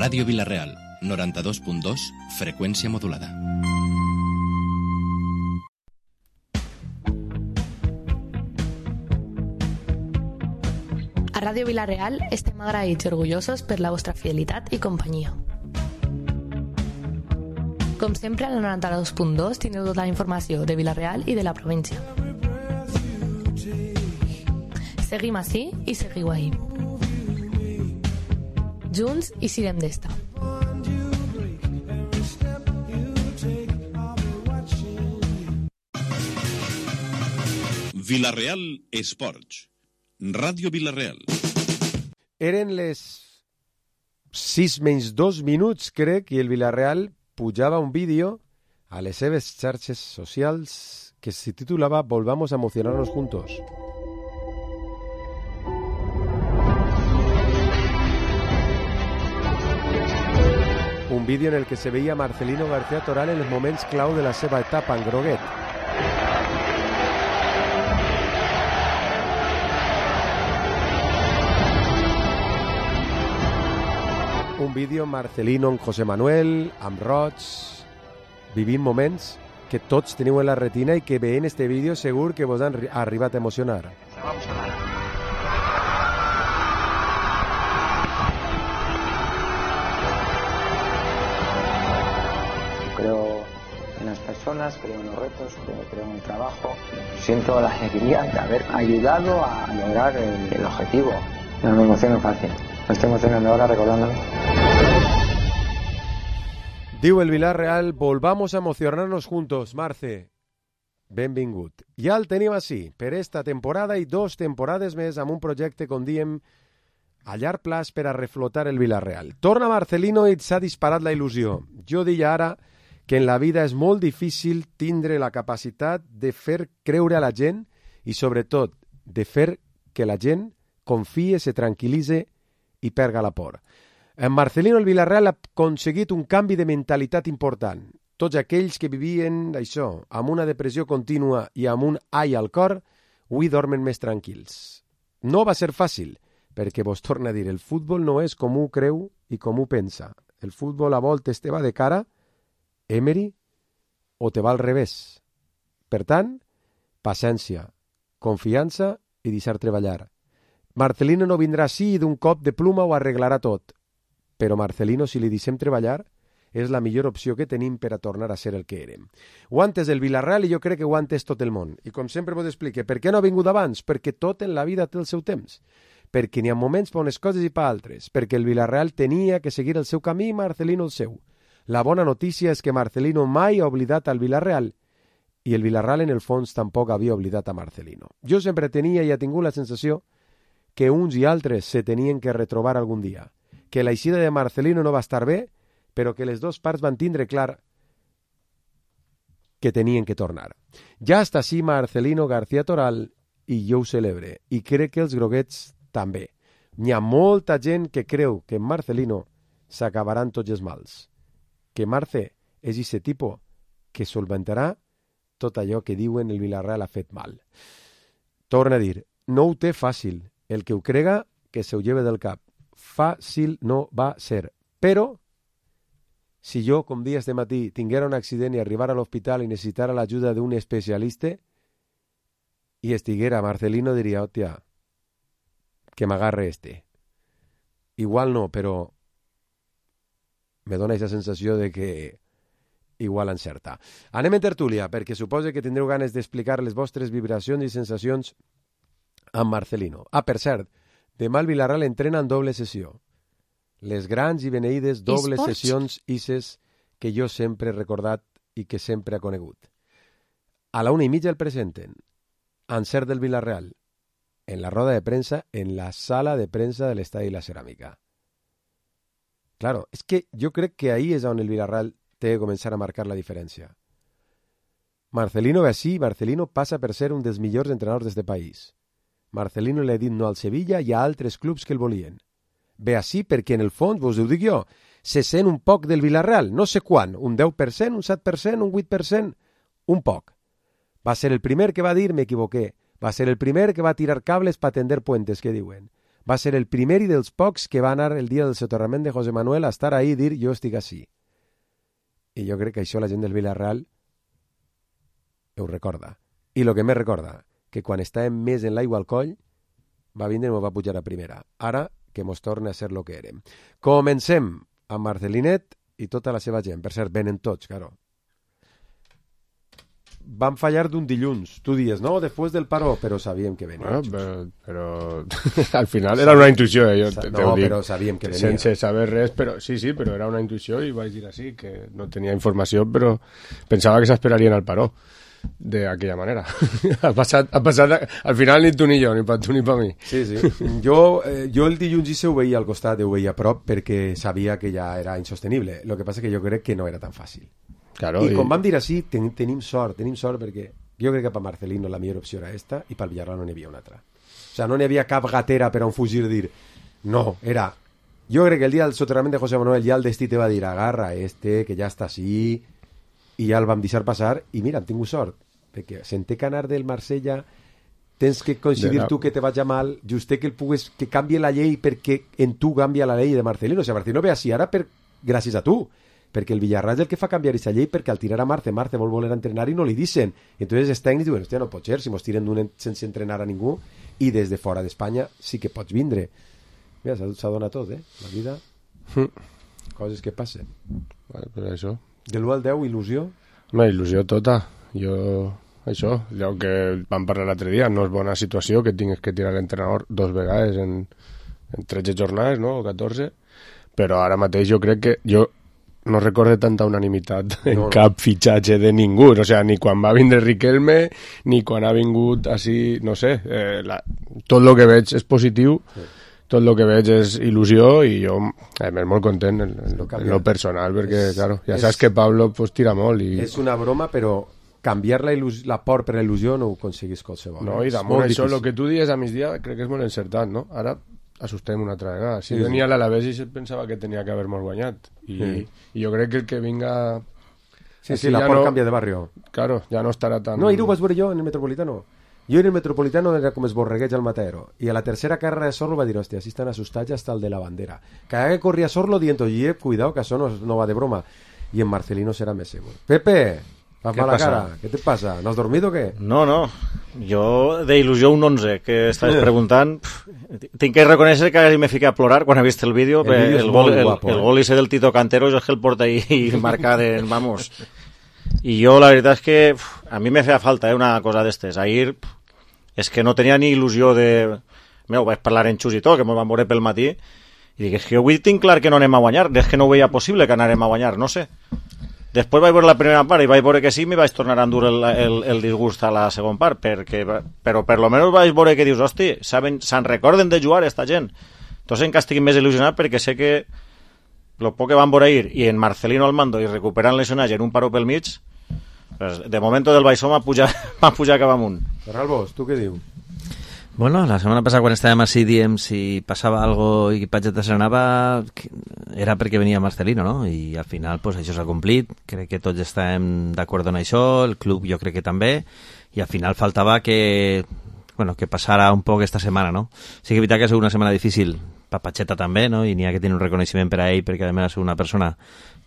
Ràdio Vila-real, 92.2, freqüència modulada. A Ràdio Vila-real estem agraïts i orgullosos per la vostra fidelitat i companyia. Com sempre, al 92.2 tindreu tota la informació de Vila-real i de la província. Seguim ací i seguiu ahí. Junts i sirem d'esta. Vila-real Esports. Ràdio Vila-real. Eren les 6:02, crec, i el Vila-real pujava un vídeo a les seves xarxes socials que se titulava Volvamos a emocionarnos juntos. Un vídeo en el que se veia Marcelino García Toral en els moments clau de la seva etapa en groguet. Un vídeo Marcelino amb José Manuel, amb Roig, vivint moments que tots teniu en la retina i que veient este vídeo segur que vos han arribat a emocionar. Vamos a ver. Creo en las personas, creo en los retos, creo en el trabajo. Siento la alegría de haber ayudado a lograr el objetivo. No me emociono fácil. Me estoy emocionando ahora recordándolo. Diu el Vila-real, volvamos a emocionarnos juntos, Marce. Benvingut. Ja el tenim així, per esta temporada i 2 temporades més amb un projecte, com diem, a llarg plaç per a reflotar el Vila-real. Torna Marcelino i s'ha disparat la il·lusió. Jo deia ara que en la vida és molt difícil tindre la capacitat de fer creure a la gent i, sobretot, de fer que la gent confie, se tranquil·litze i perga la por. En Marcelino el Vila-real ha aconseguit un canvi de mentalitat important. Tots aquells que vivien això, amb una depressió contínua i amb un ai al cor, avui dormen més tranquils. No va ser fàcil, perquè vos torna a dir, el futbol no és com ho creu i com ho pensa. El futbol a voltes te va de cara, Emery, o te va al revés. Per tant, paciència, confiança i deixar treballar. Marcelino no vindrà així d'un cop de pluma ho arreglarà tot. Però Marcelino, si li deixem treballar, és la millor opció que tenim per a tornar a ser el que érem. Ho ha entès el Vila-real i jo crec que ho ha entès tot el món. I com sempre vos explique, per què no ha vingut abans? Perquè tot en la vida té el seu temps. Perquè n'hi ha moments per unes coses i per altres. Perquè el Vila-real tenia que seguir el seu camí i Marcelino el seu. La bona notícia és que Marcelino mai ha oblidat al Vila-real i el Vila-real en el fons tampoc havia oblidat a Marcelino. Jo sempre tenia i he tingut la sensació que uns i altres se tenien que retrobar algun dia, que l'eixida de Marcelino no va estar bé, però que les dues parts van tindre clar que tenien que tornar. Ja està així Marcelino García Toral i jo ho celebre, i crec que els groguets també. N'hi ha molta gent que creu que en Marcelino s'acabaran tots els mals, que Marce és ese tipus que solventarà tot allò que diuen el Vila-real ha fet mal. Torna a dir, no ho té fàcil, el que ho crega que se ho lleve del cap. Fàcil no va ser, però si jo, com dia este matí, tinguera un accident i arribara a l'hospital i necessitara l'ajuda d'un especialista i estiguera Marcelino, diria, hòstia, que m'agarre este. Igual no, però me dona aquesta sensació de que igual encerta. Anem en tertúlia, perquè suposo que tindreu ganes d'explicar les vostres vibracions i sensacions amb Marcelino. Ah, per cert, demà el Vila-real entrena en doble sessió. Les grans i beneïdes dobles sessions ISES que jo sempre he recordat i que sempre ha conegut. A la 1:30 el presenten, encert del Vila-real, en la roda de premsa, en la sala de premsa de l'Estadi La Ceràmica. Claro, és que jo crec que ahí és on el Vila-real té que començar a marcar la diferència. Marcelino ve així, Marcelino passa per ser un dels millors entrenadors d'este país. Marcelino li ha dit no al Sevilla i a altres clubs que el volien. Ve així perquè, en el fons, vos ho dic jo, se sent un poc del Vila-real, no sé quan, un 10%, un 7%, un 8%, un poc. Va ser el primer que va dir, m'equivoqué, va ser el primer que va tirar cables per tender puentes, que diuen. va ser el primer i dels pocs que va anar el dia del soterrament de José Manuel a estar ahí i dir jo estic així. I jo crec que això la gent del Villarreal ho recorda. I el que més recorda, que quan estàvem més en l'aigua al coll, va vindre i ens va pujar a primera. Ara que mos torna a ser lo que érem. Comencem amb Marcelinet i tota la seva gent. Per cert, venen tots, claro. Van fallar d'un dilluns. Tu dies, no, després del paro, però sabíem que venia. Bueno, però al final era una intuïció, jo no, però sabíem que venia. Sense saber res, però sí, però era una intuïció i vaig dir així, que no tenia informació, però pensava que s'esperarien al paro d'aquella manera. ha passat, al final ni tu ni jo, ni per tu ni per mi. Sí. Jo el dilluns i ho veia al costat, ho veia a prop, perquè sabia que ja era insostenible. El que passa que jo crec que no era tan fàcil. Claro, I com vam dir així, tenim sort perquè jo crec que per Marcelino la millor opció era esta i pel Villarreal no n'hi havia una altra. O sea, no n'hi havia cap gatera per on fugir dir no, era... Jo crec que el dia del soterrament de José Manuel ja el destí te va dir agarra que ja està així, i ja el vam deixar passar i mira, han tingut sort perquè senté que anar del Marsella tens que coincidir tu que te vaig mal just que que canvie la llei perquè en tu canvia la llei de Marcelino. O sigui, Marcelino ve així ara gràcies a tu, perquè el Villarreal és el que fa canviar aquesta llei perquè al tirar a Marce vol voler entrenar i no li dicen. Entonces els tècnics diuen, hòstia, no pot ser si mos tiren d'un sense entrenar a ningú i des de fora d'Espanya sí que pots vindre. Mira, s'adona tot, la vida. Coses que passen. Vale, però això... De l'1 al 10, il·lusió? Una il·lusió tota. Això, allò que vam parlar l'altre dia, no és bona situació que tingues que tirar l'entrenador 2 vegades en 13 jornades, no? O 14, però ara mateix jo crec que jo no recorde tanta unanimitat en cap fitxatge de ningú, o sigui, ni quan va vindre Riquelme, ni quan ha vingut així, no sé, tot el que veig és positiu, tot el que veig és il·lusió i jo m'és molt content en lo personal, perquè, claro, ja saps que Pablo pues, tira molt. És una broma, però canviar la por per la il·lusió no ho aconseguis qualsevol. No, i damunt això, el que tu dius a migdia, crec que és molt encertat, no? Ara assustem una altra vegada. Si venia l'Alavés i pensava que tenia que haver-nos guanyat. I jo crec que el que vinga... Sí, la por canvia de barrio. Claro, ja no estarà tan... No, i ho vaig veure jo en el Metropolitano. Jo en el Metropolitano era com es borregueig al Matadero. I a la tercera carrera de Sorlo va dir, hòstia, si estan assustats hasta el de la bandera. Cada que corria Sorlo dient, oye, cuidado, que això no va de broma. I en Marcelino serà més segur. Pepe, fas mala cara. Què te passa? ¿No has dormido o què? No. Jo, de il·lusió, un 11, que estaves preguntant... Tinc que reconèixer que m'he ficat a plorar quan he vist el vídeo. El gol ese del Tito Cantero és el que el porta ahí marcat en... Vamos. I jo, la veritat és que a mi me feia falta una cosa d'estes. Ahir és que no tenia ni il·lusió de... Ho vaig parlar en Xus i tot, que m'ho van veure pel matí, i dic, és que avui tinc clar que no anem a guanyar, és que no ho veia possible que anarem a guanyar, no sé. Després vaig veure la primera part i vaig veure que sí, m'hi vaig tornar a endur el disgust a la segona part, però per lo menos vaig veure que dius, hosti, se'n recorden de jugar esta gent. Entonces encara estic més il·lusionat perquè sé que lo poc que van veure ahir i en Marcelino al mando i recuperant lesionatge en un paro pel mig, pues, de momento del Baixó m'ha pujar cap amunt. Ferralbos, tu què dius? Bueno, la setmana passada quan estàvem així diem si passava algo i Pageta s'anava era perquè venia Marcelino, no? I al final pues, això s'ha complit, crec que tots estem d'acord en això, el club jo crec que també, i al final faltava que passara un poc esta setmana, no? Sí que és veritat que ha sigut una setmana difícil per Pacheta també, no? I n'hi ha que tenir un reconeixement per a ell perquè a més ha sigut una persona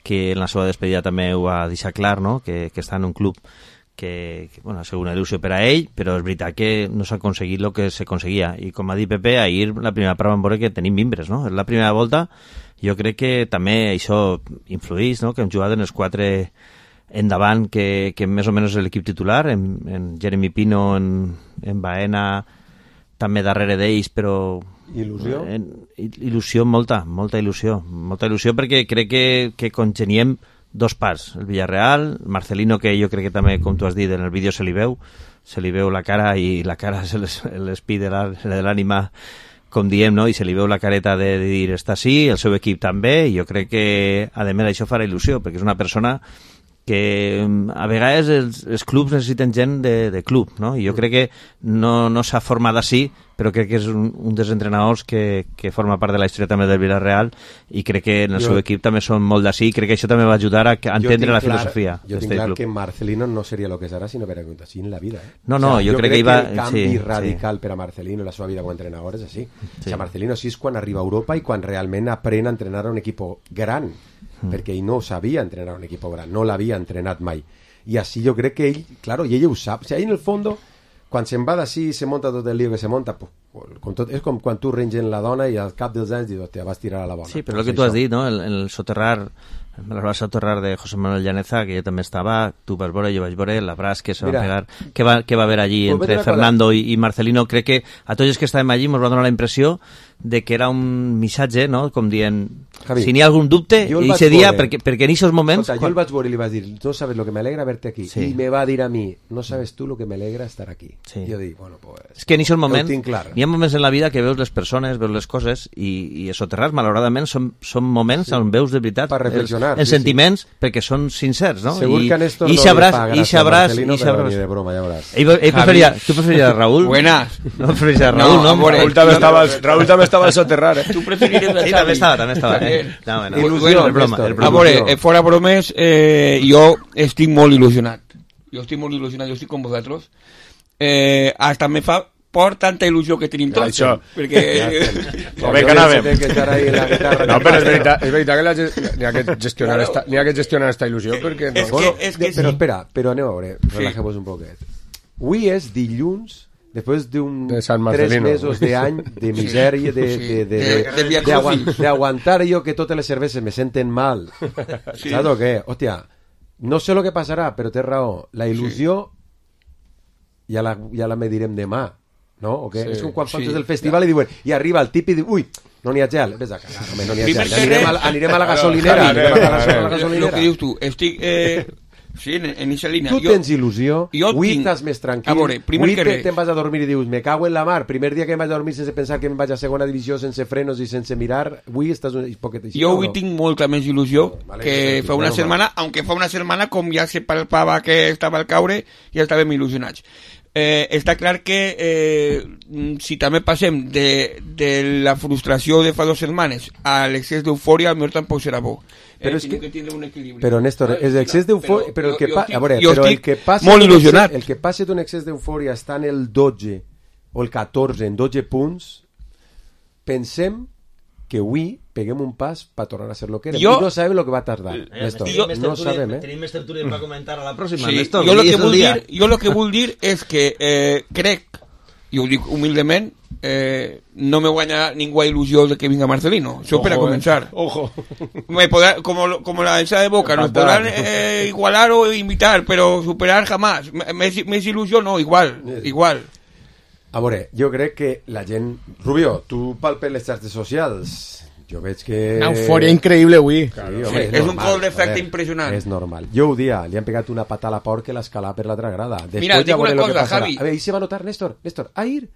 que en la seva despedida també ho ha deixat clar, no? Que està en un club que ha sigut una il·lusió per a ell, però és veritat que no s'ha aconseguit el que s'aconseguia. I com ha dit Pepe, ahir la primera part vam veure que tenim mimbres, no? És la primera volta, jo crec que també això influïx, no? Que hem jugat en els 4 endavant, que més o menys és l'equip titular, en Jeremy Pino, en Baena, també darrere d'ells, però... Il·lusió? Il·lusió, molta il·lusió. Molta il·lusió perquè crec que congeniem 2 parts, el Villarreal, Marcelino, que jo crec que també, com tu has dit, en el vídeo se li veu la cara, i la cara és l'espí de l'ànima, com diem, no? I se li veu la careta de dir està sí, el seu equip també, i jo crec que a més això farà il·lusió, perquè és una persona a vegades els clubs necessiten gent de club, no? I jo crec que no s'ha format així, però crec que és un dels entrenadors que forma part de la història també del Villarreal, i crec que en el seu equip també són molt d'ací, i crec que això també va ajudar a entendre la filosofia. Jo tinc clar que Marcelino no seria el que serà si no hubiera hagut així en la vida. No, jo crec que el canvi radical per a Marcelino en la seva vida com a entrenador és així. O sigui, Marcelino així és quan arriba a Europa i quan realment aprèn a entrenar a un equip gran, perquè ell no sabia entrenar un equip gran, no l'havia entrenat mai, i així jo crec que ell, claro, i ell ho sap, o sigui, ell en el fondo quan se'n va d'ací i se monta tot el lío que se monta, és com quan tu rengen la dona i al cap dels anys dius, te vas tirar a la bona. Sí, però el que tu has dit, no? El soterrar, me la vas soterrar de José Manuel Llaneza, que jo també estava, tu vas veure, jo vaig veure, l'abraç que se va pegar, que va haver allí entre Fernando i Marcelino. Crec que a tots els que estàvem allí ens va donar la impressió de que era un missatge, no?, com dient, Javi, si n'hi ha algun dubte, i ese dia, perquè en aquests moments... Jo el vaig veure i li vaig dir, no sabes lo que me alegra verte aquí, i me va dir a mi, no sabes tu lo que me alegra estar aquí. I jo dic, bueno, pues... És que en aquests moments, n'hi ha moments en la vida que veus les persones, veus les coses, i els soterrats, malauradament, són moments on veus de veritat els sentiments, perquè són sincers, no? Segur que a Néstor no li paga gràcia a Marcelino, però ni de broma, ja veuràs. Tu preferiries a Raúl? Buenas. No preferiries a Raúl, no? Raúl també estava al soterrar, Tu preferiries a Xavi? Sí, també estava. Il·lusió, a veure, fora bromes, jo estic molt il·lusionat. Jo estic com vosaltres. Hasta me fa por tanta il·lusió que tenim tots. Això. Perquè... Bé que anàvem. No, però és veritat que n'hi ha que gestionar esta il·lusió, perquè... Però espera, però aneu a veure, relajemos un poquet. Avui és dilluns, després d'un 3 mesos d'any de misèria, d'aguantar jo que totes les cerveses me senten mal. Saps o què? Hòstia, no sé lo que passarà, però té raó. La il·lusió ja la medirem demà, no? O què? És com quan faltes del festival i diuen, i arriba el tip i diu, ui, no n'hi ha gel. Ves a cagar, home, no n'hi ha gel. Anirem a la gasolinera. El que dius tu, estic... Sí, en aquesta línia. Tu tens il·lusió, avui estàs més tranquil, avui te'n vas a dormir i dius, me cago en la mar, primer dia que em vaig a dormir sense pensar que em vaig a segona divisió, sense frenos i sense mirar, avui estàs un poquet així. Jo avui tinc molta més il·lusió que fa una setmana, aunque fa una setmana com ja se palpava que estava al caure, ja estàvem il·lusionats. Està clar que si també passem de la frustració de fa 2 setmanes a l'excés d'eufòria, al millor tampoc serà bo. Però és que tindre un equilibri. Però Néstor, és excés d'eufòria, però el que passa d'un excés d'eufòria està en el 12 o el 14 en 12 punts, pensem que avui peguem un pas per tornar a ser lo que era. I no sabem lo que va tardar, Néstor. No sabem, Tenim més tertúlies per comentar a la pròxima, Néstor. Jo lo que vull dir és que crec, i ho dic humilment, no me guanya ninguna il·lusió de que venga Marcelino. Eso para comenzar. Ojo. Como la densa de Boca, nos podrán igualar o imitar, pero superar jamás. Més il·lusió no, igual. A veure, jo crec que la gent... Rubio, tu palpes les xarxes socials. Jo veig que... Una eufòria increïble avui. Sí, home, és un col d'efecte impressionant. És normal. Jo ho dia, li han pegat una pata a la por que l'escalar per l'altra grada. Mira, dic una cosa, Javi. A veure, ahí se va a notar, Néstor. Ahir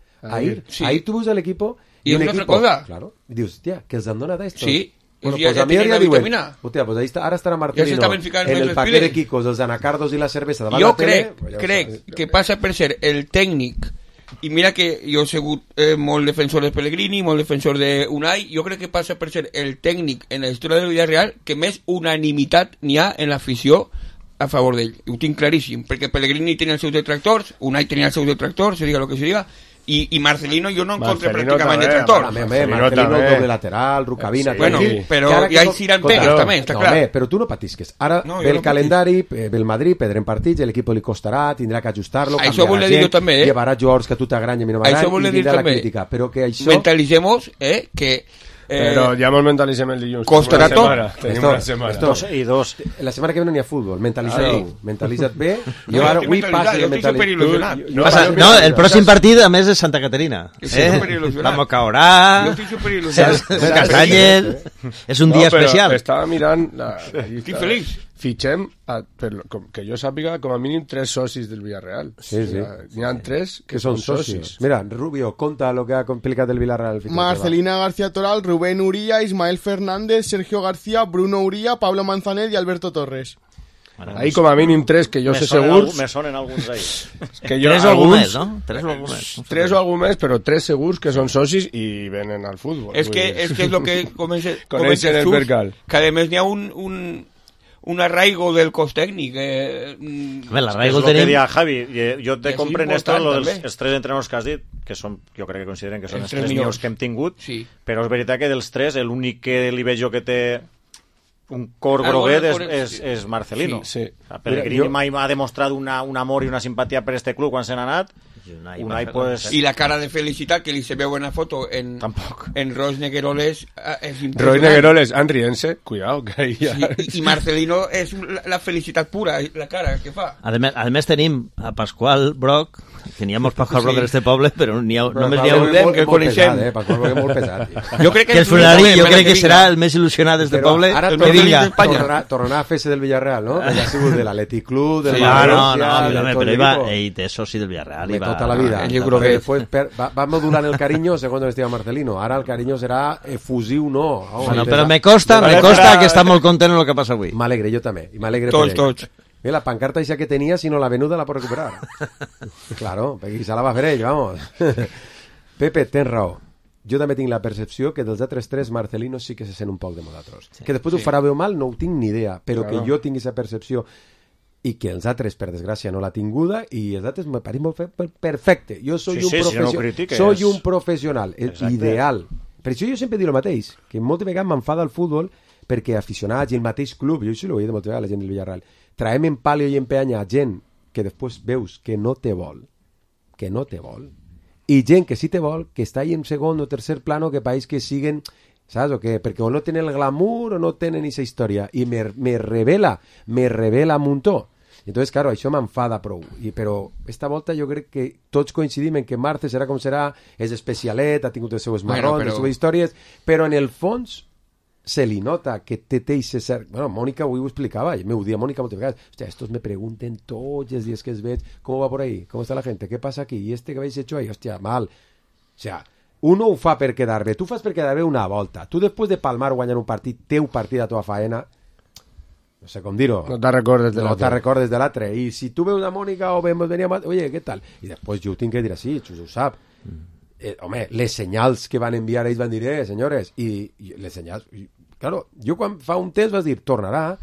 tu veus a l'equipo... I és una altra cosa. Claro. I dius, hòstia, que els han donat esto. Sí. Bueno, pues a mi ja diuen, hòstia, pues ahí ara estarà Marcelino en el paquet de quicos, els anacardos i la cervesa davant la tele. Jo crec que passa per ser el tècnic, i mira que jo he sigut molt defensor de Pellegrini, molt defensor de Unai, jo crec que passa per ser el tècnic en la història del Villarreal que més unanimitat n'hi ha en l'afició a favor d'ell. Ho tinc claríssim, perquè Pellegrini tenia els seus detractors, Unai tenia els seus detractors, se diga el que se diga, i Marcelino jo no encontré pràcticament detractor. Marcelino doble lateral, Rucabina... Bueno, però ja hi seran pegues també, està clar. Però tu no patisques. Ara ve el calendari, ve el Madrid, perdrem partits, l'equip li costarà, tindrà que ajustar-lo, canviarà gent, llevarà jugadors que a tu t'agranyen i no m'agraden, i vindrà la crítica. Però que això... Mentalitzemos que... Però ja mos mentalitzem el dilluns. Costarà tot. Tenim una setmana. I 2. La setmana que ve no n'hi ha futbol. Mentalitza't bé. Jo ara avui passo de mentalitzar. No, el pròxim partit, a més, és Santa Caterina. Vamos a orar. Jo estic superil·lusionat. Castanyes. És un dia especial. Estava mirant... Estic feliç. Fitxem, que jo sàpiga, com a mínim 3 socis del Villarreal. Sí. N'hi ha 3 que són socis. Mira, Rubio, conta lo que ha complicat el Villarreal. Marcelina García Toral, Rubén Uría, Ismael Fernández, Sergio García, Bruno Uría, Pablo Manzanet y Alberto Torres. Ahí com a mínim 3 que jo sé segurs. Me sonen alguns ahí. Que jo, 3 o algú més, no? 3 o algú més. 3 o algú més, però 3 segurs que són socis i venen al futbol. Es que es lo que coneixen el percal. Que además n'hi ha un arraigo del cos tècnic. L'arraigo el tenim... Que dia Javi, jo te compren esto, els 3 entrenadors que has dit, que són, jo crec que consideren que són els 3 millors que hem tingut, però és veritat que dels 3 l'únic que li veig jo que té un cor groguet és Marcelino. Pellegrini mai m'ha demostrat un amor i una simpatia per este club quan se n'ha anat. Unai, pues... Y la cara de felicidad que se ve buena foto en Roy Negueroles es impresionante. Roy Negueroles, Andriense, cuidado que ahí ya... Y Marcelino es la felicidad pura, la cara que fa. Además tenim a Pasqual Broc, teníamos Pasqual Broc en este poble, però només n'hi ha un que coneixem. Pasqual Broc és molt pesat. Jo crec que serà el més il·lusionat d'este poble. Ara tornarà a fer-se del Villarreal, no? Ja ha sigut de l'Atlètic Club, del València... No, però ell té soci del Villarreal. Toda la vida. Después va modular el cariño según estima Marcelino. Ahora el cariño será efusiu, no. Bueno, pero me consta que està molt content en el que passa avui. M'alegre, jo també. I m'alegre tots. Mira, la pancarta esa que tenía, si no la venuda la pot recuperar. Claro, perquè se la va fer ell, vamos. Pepe, tens raó. Jo també tinc la percepció que dels altres 3 Marcelino sí que se sent un poc de modatros. Que després ho farà bé o mal no ho tinc ni idea, però que jo tingui aquesta percepció i que els altres, per desgràcia, no l'ha tinguda i els altres me pareix molt perfecte. Jo soy un professional, ideal. Per això jo sempre dic el mateix, que moltes vegades m'enfada el futbol perquè aficionats i el mateix club, jo això l'ho he dit moltes vegades a la gent del Villarreal, traem en palio i en peanya gent que després veus que no te vol, i gent que sí te vol, que està ahí en segon o tercer plano, que pareix que siguen... ¿Sabes o qué? Perquè o no tenen el glamour o no tenen esa història i me revela un muntó. Entonces, claro, això m'enfada prou. Però esta volta jo crec que tots coincidim en que Marce serà com serà, és especialet, ha tingut els seus marrons, les seves històries, però en el fons se li nota que té ese cert... Bueno, Mònica avui ho explicava, m'ho dia Mònica moltes vegades. Hòstia, estos me pregunten tots els dies que es veig, ¿cómo va por ahí? ¿Cómo está la gente? ¿Qué pasa aquí? ¿Y este que habéis hecho ahí? Hòstia, mal. O sea... Uno ho fa per quedar bé, tu fas per quedar bé una volta. Tu després de palmar o guanyar un partit, teu partit a tua faena, no sé com dir-ho. No te'n recordes de l'altre. I si tu veus a Mònica o venia a... Oye, què tal? I després jo ho tinc que dir així, Xus ho sap. Home, les senyals que van enviar ells van dir, senyores, i les senyals... Claro, jo quan fa un temps vas dir, tornarà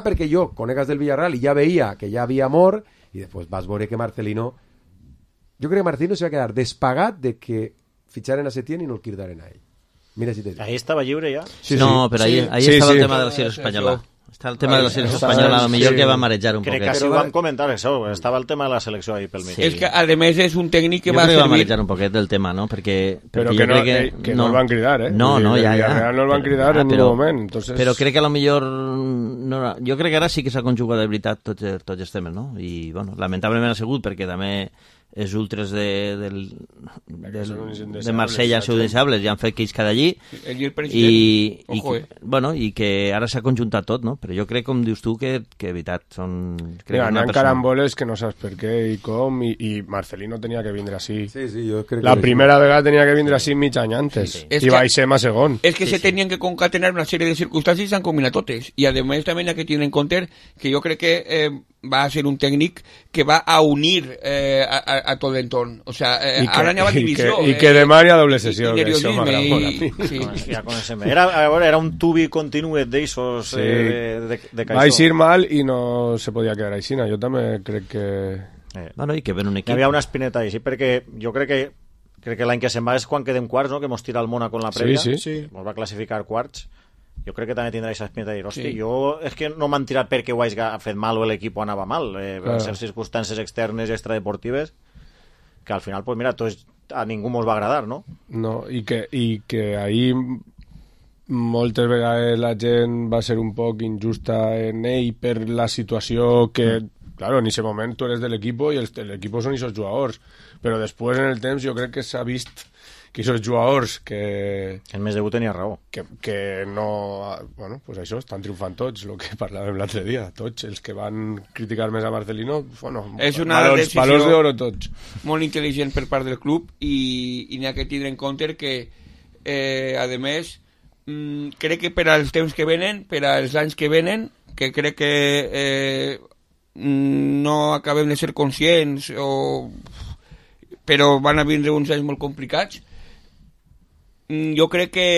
perquè jo conegues del Villarreal i ja veia que ja havia amor i després vas veure que Marcelino... Jo crec que Marcelino se va quedar despagat de que fitxaren a Setién i no el cridaren a ell. Mira si te dic. Ahí estava lliure ja? No, però ahí estava el tema de la selecció espanyola. Està el tema de la selecció espanyola, millor que va marejar un poquet. Crec que sí ho vam comentar, això. Estava el tema de la selecció ahí pel mig. És que, a més, és un tècnic que va servir... Jo crec que va marejar un poquet del tema, no? Perquè però que no el van cridar, No, ja. No el van cridar en ningú moment. Però crec que a lo millor... Jo crec que ara sí que s'ha conjugat de veritat tots els temes, no? I, bueno, lamentablement ha sigut perquè també els ultres de Marsella són indeseables i han fet que ells cada allí i que ara s'ha conjuntat tot, no? Però jo crec, com dius tu, que veritat són... N'hi caramboles que no saps per què i com, i Marcelino tenia que vindre així. Jo crec la primera vegada tenia que vindre així mig any antes i baixem a segon. És que se tenien que concatenar una sèrie de circumstàncies i s'han combinat totes. I a més també hi ha que tenir en compte que jo crec que va a ser un técnico que va a unir a todo el entorno. O sea, ahora ya va división. Y que demà hi ha doble sessió. Era un tubi continuet d'eixos de caixó. Va eixir mal i no se podia quedar així. Jo també crec que... Bueno, i que ven un equip. Hi havia una espineta així, perquè jo crec que l'any que se'n va és quan quedem quarts, no? Que mos tira el Mónaco en la prèvia. Sí. Mos va classificar quarts. Jo crec que també tindrà aquesta espineta de dir, hosti, jo és que no m'han tirat perquè ho hagi fet mal o l'equip anava mal, per ser circumstàncies externes i extradeportives, que al final, pues mira, a ningú mos va agradar, no? No, i que ahir moltes vegades la gent va ser un poc injusta en ell per la situació que, claro, en aquest moment tu eres de l'equip i l'equip són aquests jugadors, però després en el temps jo crec que s'ha vist que aquests jugadors que... El mes debut tenia raó. Que no... Bueno, pues això, estan triomfant tots, el que parlàvem l'altre dia. Tots els que van criticar més a Marcelino, bueno, és una valors d'oro tots. Molt intel·ligent per part del club i n'hi ha que tindre en compte que, a més, crec que per als temps que venen, per als anys que venen, que crec que no acabem de ser conscients, però van a vindre uns anys molt complicats. Jo crec que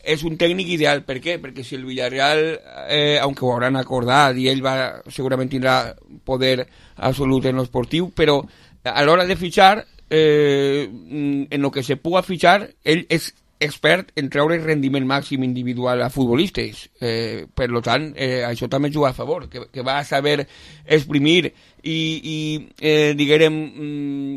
és un tècnic ideal. Per què? Perquè si el Villarreal, aunque ho hauran acordat i ell segurament tindrà poder absolut en l'esportiu, però a l'hora de fitxar, en el que se puga fitxar, ell és expert en treure rendiment màxim individual a futbolistes. Per tant, això també juga a favor, que va saber exprimir i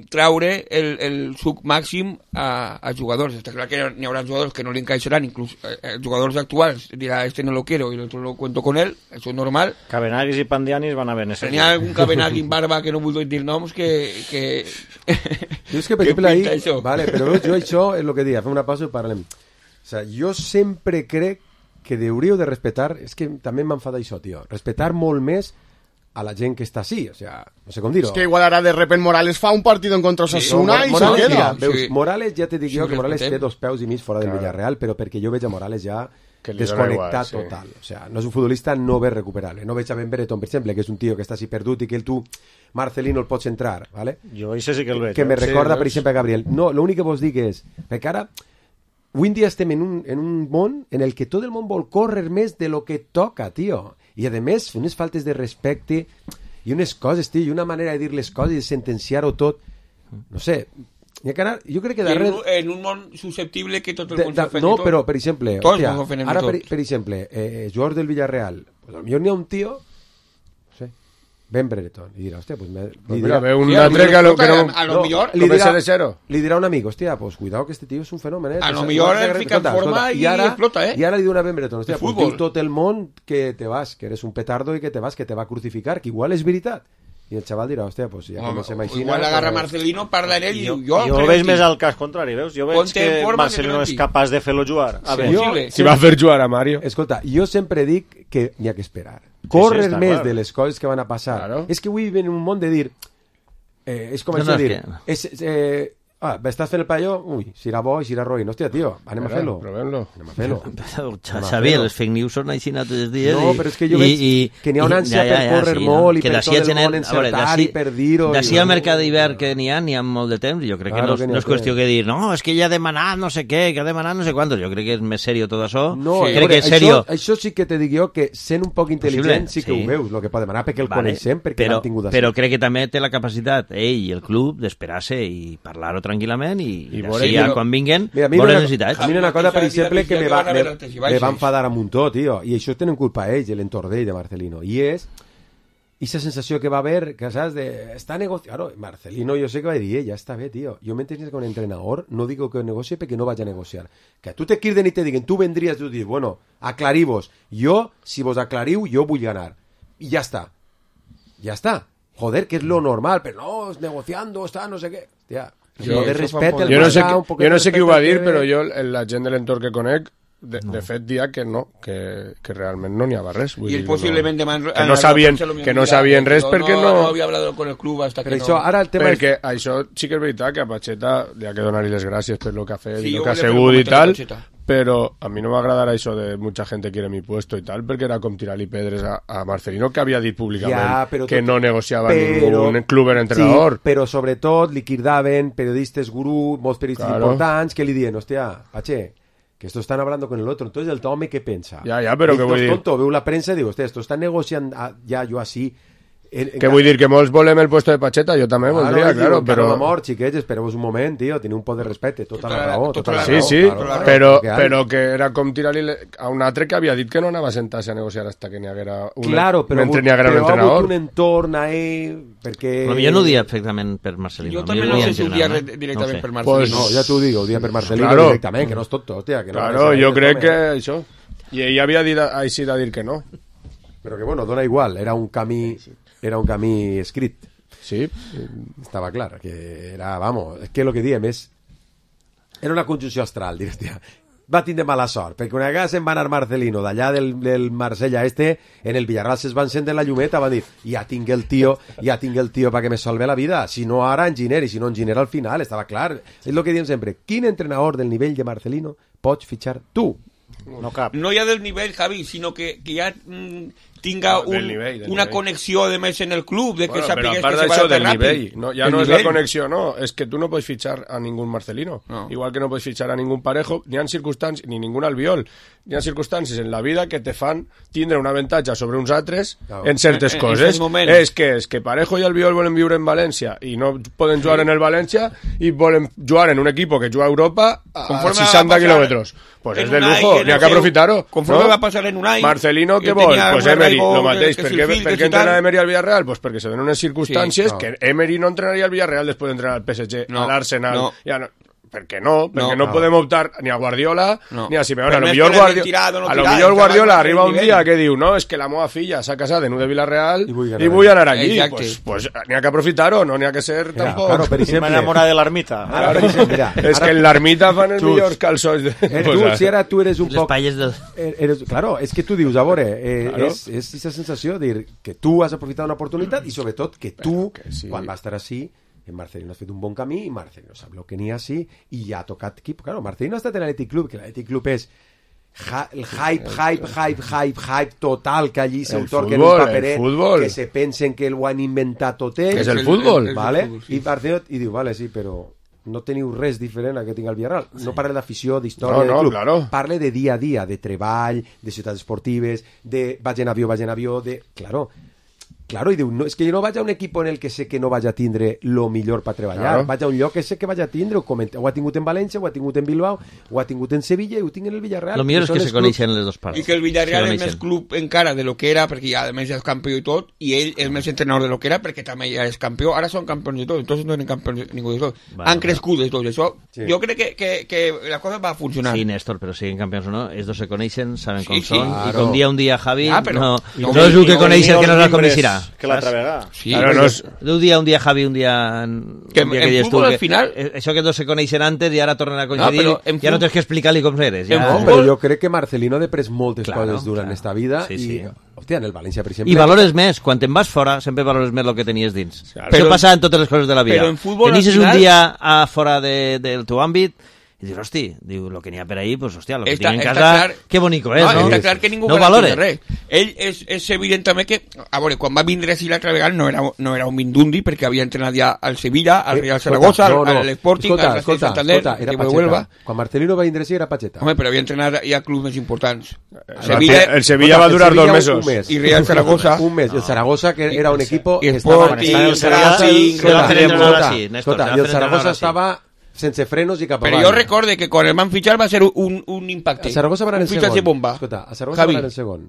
treure el suc màxim a jugadors. Està clar que n'hi haurà jugadors que no li encaixaran, inclús jugadors actuals dirà, este no lo quiero y el otro lo cuento con él, això és normal. Cabenagis i Pandianis van a haver necessitat. N'hi ha algun Cabenagui en barba que no vull dir noms que jo és que, per exemple, ahí, vale, però jo això és el que dic, fem una pausa i parlem. O sea, jo sempre crec que hauríeu de respetar, és que també m'enfada això, tio, respetar molt més a la gent que està així, o sea, no sé com dir-ho. És que igual ara de repente Morales fa un partit en contra Osasuna i se queda. Mira, veus, Morales, ja te dic jo que Morales té 2 peus i mig fora del Villarreal, però perquè jo veig a Morales ja desconnectat total. O sea, no és un futbolista no bé recuperable. No veig a Ben Brereton, per exemple, que és un tio que està així perdut i que tu, Marcelino, el pots entrar, ¿vale? Jo això sí que el veig. Que me recorda, per exemple, a Gabriel. No, l'únic que vos dic és, perquè ara avui en dia estem en un món en el que tot el món vol córrer més de lo que toca, tio. I, a més, unes faltes de respecte i unes coses, tio, i una manera de dir les coses i de sentenciar-ho tot. No sé, jo crec que darrere... En un món susceptible que tot el món s'ofeni no, però, per exemple, hòstia, ara, per exemple, jugadors del Villarreal, pues, potser n'hi ha un tio, no sé, Ben Brereton, i dirà, hòstia, pues mira, ve un altre que a lo millor li dirà un amic, hòstia, pues cuidado que este tío es un fenómeno, a lo millor el fica en forma i explota, i ara li diu a Ben Brereton, hòstia, pues diu tot el món que te vas, que eres un petardo i que te vas, que te va a crucificar, que igual és veritat. I el xaval dirà, hòstia, pues ja comencem així. Igual agarra Marcelino, parla en ell i diu, jo veig més al cas contrari, veus? Jo veig que Marcelino és capaç de fer-lo jugar. Si va fer jugar a Mario. Escolta, jo sempre dic que n'hi ha que esperar. Córrer més de les coses que van a passar. És que avui ven un món de dir... És com això de dir... estàs fent el palló? Ui, si era bo i si era roïn. Hòstia, tio, anem a fer-lo. Anem a fer-lo. Xavi, els fake news són així tots els dies. No, però és que jo veig que n'hi ha una ànsia per córrer molt i per tot el món encertar i per dir-ho. D'ací al mercat d'hivern que n'hi ha molt de temps. Jo crec que no és qüestió que dir, no, és que ell ha demanat no sé què, que ha demanat no sé quantos. Jo crec que és més serio tot això. No, crec que és serio. Això sí que te dic jo, que sent un poc intel·ligent sí que ho veus, el que pot demanar, perquè el coneixem, perquè l'han tingut així. Però crec que també té la capacitat, ell i el club, d'esperar-se i parlar-ho tranquil·lament i així ja quan vinguen veure necessitats. A mi una cosa, per exemple, que me va enfadar a muntó, tio, i això tenen culpa ells, l'entorn d'ell, de Marcelino, i és aquesta sensació que va haver, que saps, està negociant. Claro, Marcelino jo sé que va dir, ja està bé, tio, jo m'entens que un entrenador no digo que negocie perquè no vaig a negociar. Que tu te criden i te diguen, tu vendries, tu dius, bueno, aclarivos, jo, si vos aclariu, jo vull ganar. I ja està. Ja està. Joder, que és lo normal, però no, negociando, està, no sé què. Hòstia, jo no sé qui ho va dir, però jo, la gent de l'entorn que conec, de fet, dia que no, que realment no n'hi havia res. I el possiblement que no sabien res perquè no... No havia hablat con el club hasta que no... Perquè això sí que és veritat que a Pacheta li ha que donar-li les gràcies per lo que ha fet i lo que ha segut i tal, però a mi no m'agradarà això de mucha gente quiere mi puesto i tal, perquè era com tirar-li pedres a Marcelino, que havia dit públicament que no negociava ningún club en entrenador. Sí, però sobretot li cridaven periodistes gurú, molts periodistes importants, que li diuen, hòstia, Pache, que esto están hablando con el otro. Entonces el home, ¿qué piensa? Ya, pero que voy a decir... tonto, veo la prensa y digo, hostia, esto están negociando ya yo así... Que vull dir que molts volem el puesto de Pacheta, jo també voldria, claro, però... Amor, xiquets, espereu un moment, tio, teniu un pot de respecte, tota la raó. Sí, però que era com tirar-li a un altre que havia dit que no anava a sentar-se a negociar hasta que n'hi haguera un entrenador. Però ha hagut un entorn a ell, perquè... Jo no ho dia perfectament per Marcelino. Jo també no sé si ho dia directament per Marcelino. No, ja t'ho dic, ho dia per Marcelino directament, que no és tot, hòstia. Claro, jo crec que això... I ell havia dit així de dir que no. Però que, bueno, dona igual, era un camí escrit. Sí. Estava clar, que era, vamos, és que el que diem és... Era una conjunció astral, dius, tia. Va tindre mala sort, perquè una vegada se'n va anar Marcelino, d'allà del Marsella en el Villarreal se'ls van encendre la llumeta, van dir, ja tinc el tio perquè me salve la vida, si no ara enginera, i si no enginera al final, estava clar. És el que diem sempre, quin entrenador del nivell de Marcelino pots fitxar tu? No cap. No ja del nivell, Javi, sinó que ja tinga una connexió de més en el club, de que sapigues que se va a del ràpid. nivell, no, ja no és la connexió, no, és que tu no pots fitxar a ningú Marcelino, igual que no pots fitxar a ningú Parejo, ni ha circumstàncies, ni ningú Albiol, hi ha circumstàncies en la vida que te fan tindre un avantatge sobre uns altres en certes coses. És que Parejo i Albiol volen viure en València i no poden jugar en el València i volen jugar en un equip que juga a Europa a 60 quilòmetres. Pues és de lujo, n'hi ha que aprofitar-ho. Conforme va passar en Unai... Marcelino, què vol? Pues Emery, lo mateix. Per què entrena Emery al Villarreal? Pues perquè se donen unes circumstàncies que Emery no entrenaria al Villarreal després d'entrenar al PSG, a l'Arsenal. Per què no? Perquè no podem optar ni a Guardiola ni a Simeone. A lo millor Guardiola arriba un dia que diu, no, és que la meva filla s'ha casat en de Villarreal i vull anar allí. Pues n'hi ha que aprofitar-ho, no n'hi ha que ser tampoc... M'enamora de l'ermita. És que en l'ermita fan els millors calçons. Si ara tu eres un poc... Claro, és que tu dius, a veure, és aquesta sensació de dir que tu has aprofitat una oportunitat i sobretot que tu, quan vas estar així, en Marcelino has fet un bon camí i Marcelino sap el que n'hi ha així i ja ha tocat equip. Claro, Marcelino ha estat en l'Atlètic Club, que l'Atlètic Club és el hype total que allí s'entorquen un paperet, que se pensen que ho han inventat tot ells. És el futbol. Vale? I Marcelino diu, vale, sí, però no teniu res diferent a que tinc el Villarreal. No parle d'afició, d'història del club. Claro. Parle de dia a dia, de treball, de ciutats esportives, de vaig en avió, de... Claro, i diu, no, és que jo no vaig a un equip en el que sé que no vaig a tindre lo millor per treballar, vaig a un lloc que sé que vaig a tindre, ho ha tingut en València, ho ha tingut en Bilbao, ho ha tingut en Sevilla i ho tinc en el Villarreal. Lo millor és que se coneixen les dues parts. I que el Villarreal és més club encara de lo que era, perquè ja a més és campió i tot, i ell és més entrenador de lo que era, perquè també ja és campió, ara són campions de tot, entonces no eren campions ningú de tot. Han crescut de tot això. Jo crec que la cosa va a funcionar. Sí, Néstor, però siguin campions o no, els dos se coneixen, saben com són, i com dia Javi, no és el que coneix el que no el coneixerà. Que l'altra vegada. Sí, claro, un dia Javi, un dia que en fútbol al final això que dos se coneixen antes i ara tornen a coincidir, ja no tens que explicar-li com eres. Però jo crec que Marcelino ha després moltes coses durant esta vida i, hòstia, en el València, per exemple... I valores més, quan te'n vas fora sempre valores més el que tenies dins. Això passa en totes les coses de la vida. Però en futbol tenis un dia fora del teu àmbit i dius, hosti, el que n'hi ha per ahí, pues, hòstia, el que tinc en casa, que bonico és, no? Està clar que ningú valora res. Ell és evident també que, a veure, quan va vindre així l'altra vegada no era un Mindundi, perquè havia entrenat ja al Sevilla, al Real Zaragoza, al Sporting, al Santander, era Pacheta. Quan Marcelino va vindre així era Pacheta. Home, però havia entrenat ja clubs més importants. El Sevilla va durar 2 mesos. I Real Zaragoza. Un mes. El Zaragoza, que era un equipo... I Sporting, Racing... I el Zaragoza estava... sense frenos i cap avall. Però jo recorde que quan el van fitxar va ser un impacte. A Zaragoza va anar en segon. Bomba. Escolta, a Zaragoza va anar en segon.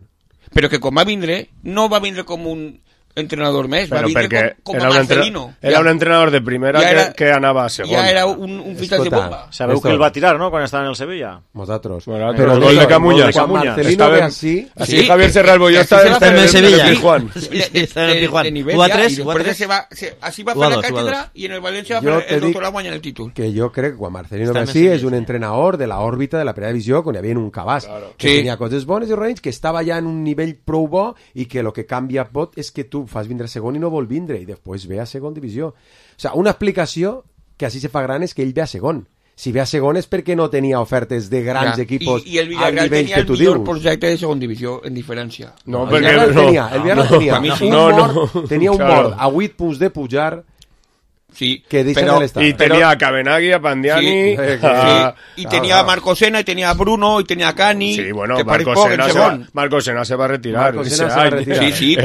Però que quan va vindre, no va vindre com un entrenador més, va vindre com a Marcelino. Era un entrenador de primera que anava a segon. Ja era un fitxatge bomba. Sabeu que el va tirar, no?, quan estava en el Sevilla. Nosaltres. Però el gol de Camuñas. Quan Marcelino ve així... Així Javier Serralbo jo estava en el Sevilla. Està en el Pijuan. Així va fer la càtedra i en el València va fer el doctorat guanyant el títol. Que jo crec que quan Marcelino ve així és un entrenador de l'òrbita de la primera divisió quan hi havia un cabàs. Que tenia coses bones i raïns, que estava ja en un nivell prou bo i que el que canvia pot és que tu fas vindre a segon i no vol vindre i després ve a segon divisió. O sigui, una explicació que així se fa gran és que ell ve a segon. Si ve a segon és perquè no tenia ofertes de grans equipos i el Villarreal tenia el millor projecte de segon divisió en diferència. No, el Villarreal tenia un mort a 8 punts de pujar. Sí, y tenía a Cabenagui, a Pandiani, y tenía a Marco Sena, y tenía a Bruno, y tenía a Cani. Sí, bueno, Marco Sena se va a retirar. Sí,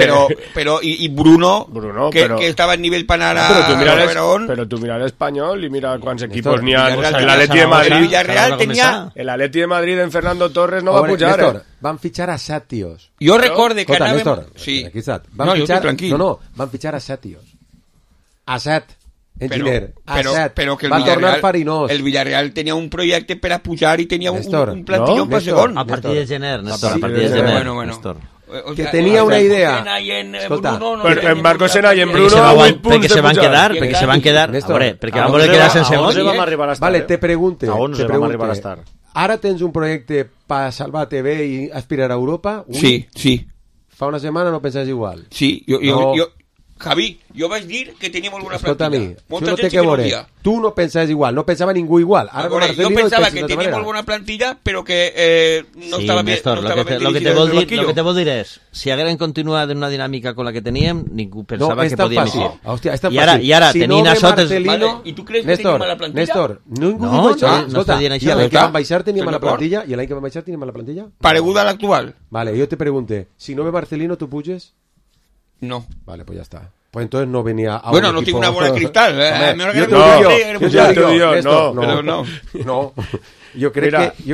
pero y Bruno que estaba en nivel Panara. Pero tú mira el Español y mira cuántos equipos ni han. El Atleti de Madrid. El Villarreal tenía. El Atleti de Madrid en Fernando Torres no va a pujar. Néstor, van fichar a 7 tíos. Yo recorde que anàvem... Néstor, van fichar a 7 tíos. A 7. Pero que el Villarreal tenía un proyecto para pujar y tenía un plantillón para segon. A partir de gener, Néstor, a partir de gener. Néstor. Que tenía una idea. En Marco Sena y en Bruno perquè se van quedar, a veure, perquè van voler quedar sense segons. Vale, te pregunte. A 11 vam arribar a estar. Ara tens un projecte para salvar TV y aspirar a Europa? Sí. Fa una setmana no pensaves igual. Sí, Javi, jo vaig dir que tenia molt bona Escolta, plantilla. això no té que veure. Tu no pensaves igual, no pensava ningú igual. Ara jo pensava que tenia molt bona plantilla, però que no estava bé. Néstor, lo que te vol dir és, si hagueren continuat en una dinàmica con la que teníem, ningú pensava que podíem ir. Hòstia, és tan fàcil. I ara, tenint això... I tu creus que tenim mala plantilla? Néstor, ningú diu això. Escolta, i l'any que vam baixar teníem mala plantilla? I l'any que vam baixar teníem mala plantilla? Pareguda a l'actual. Vale, jo te pregunte, si no ve Marcelino, ¿tú puges? No. Vale, pues ya está. Pues entonces no venía a bueno, no equipo... tengo una bola de cristal. No. Jo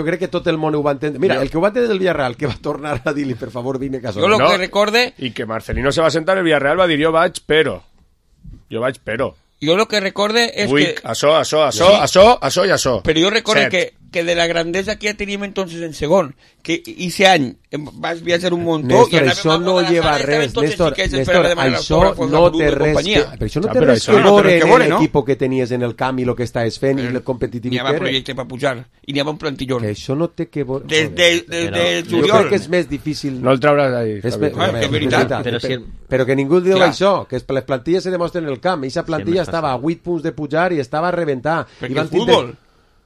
crec que tot el món ho va entendre. Mira, el que ho va entendre del Villarreal, que va tornar a dir-li, per favor, vine a casa. Jo lo que recorde... I que Marcelino se va sentar, el Villarreal va dir, jo vaig, però. Jo lo que recorde és que... Això i això. Però jo recorde que de la grandesa que ja teníem entonces en segon, que ese any vas viatjar un muntó... Néstor, això no lleva res. Néstor, això no té res. Però això no té res que veure en l'equip que tenies en el camp i el que estaves fent i el competitiu que era. N'hi havia projecte per pujar i n'hi havia un plantillón. Que això no té que veure... Des juliol. Jo crec que és més difícil... No el trauràs d'ahí. És veritat. Però que ningú diu això, que les plantilles se demostren en el camp. I aquesta plantilla estava a 8 punts de pujar i estava a reventar. Perquè el futbol...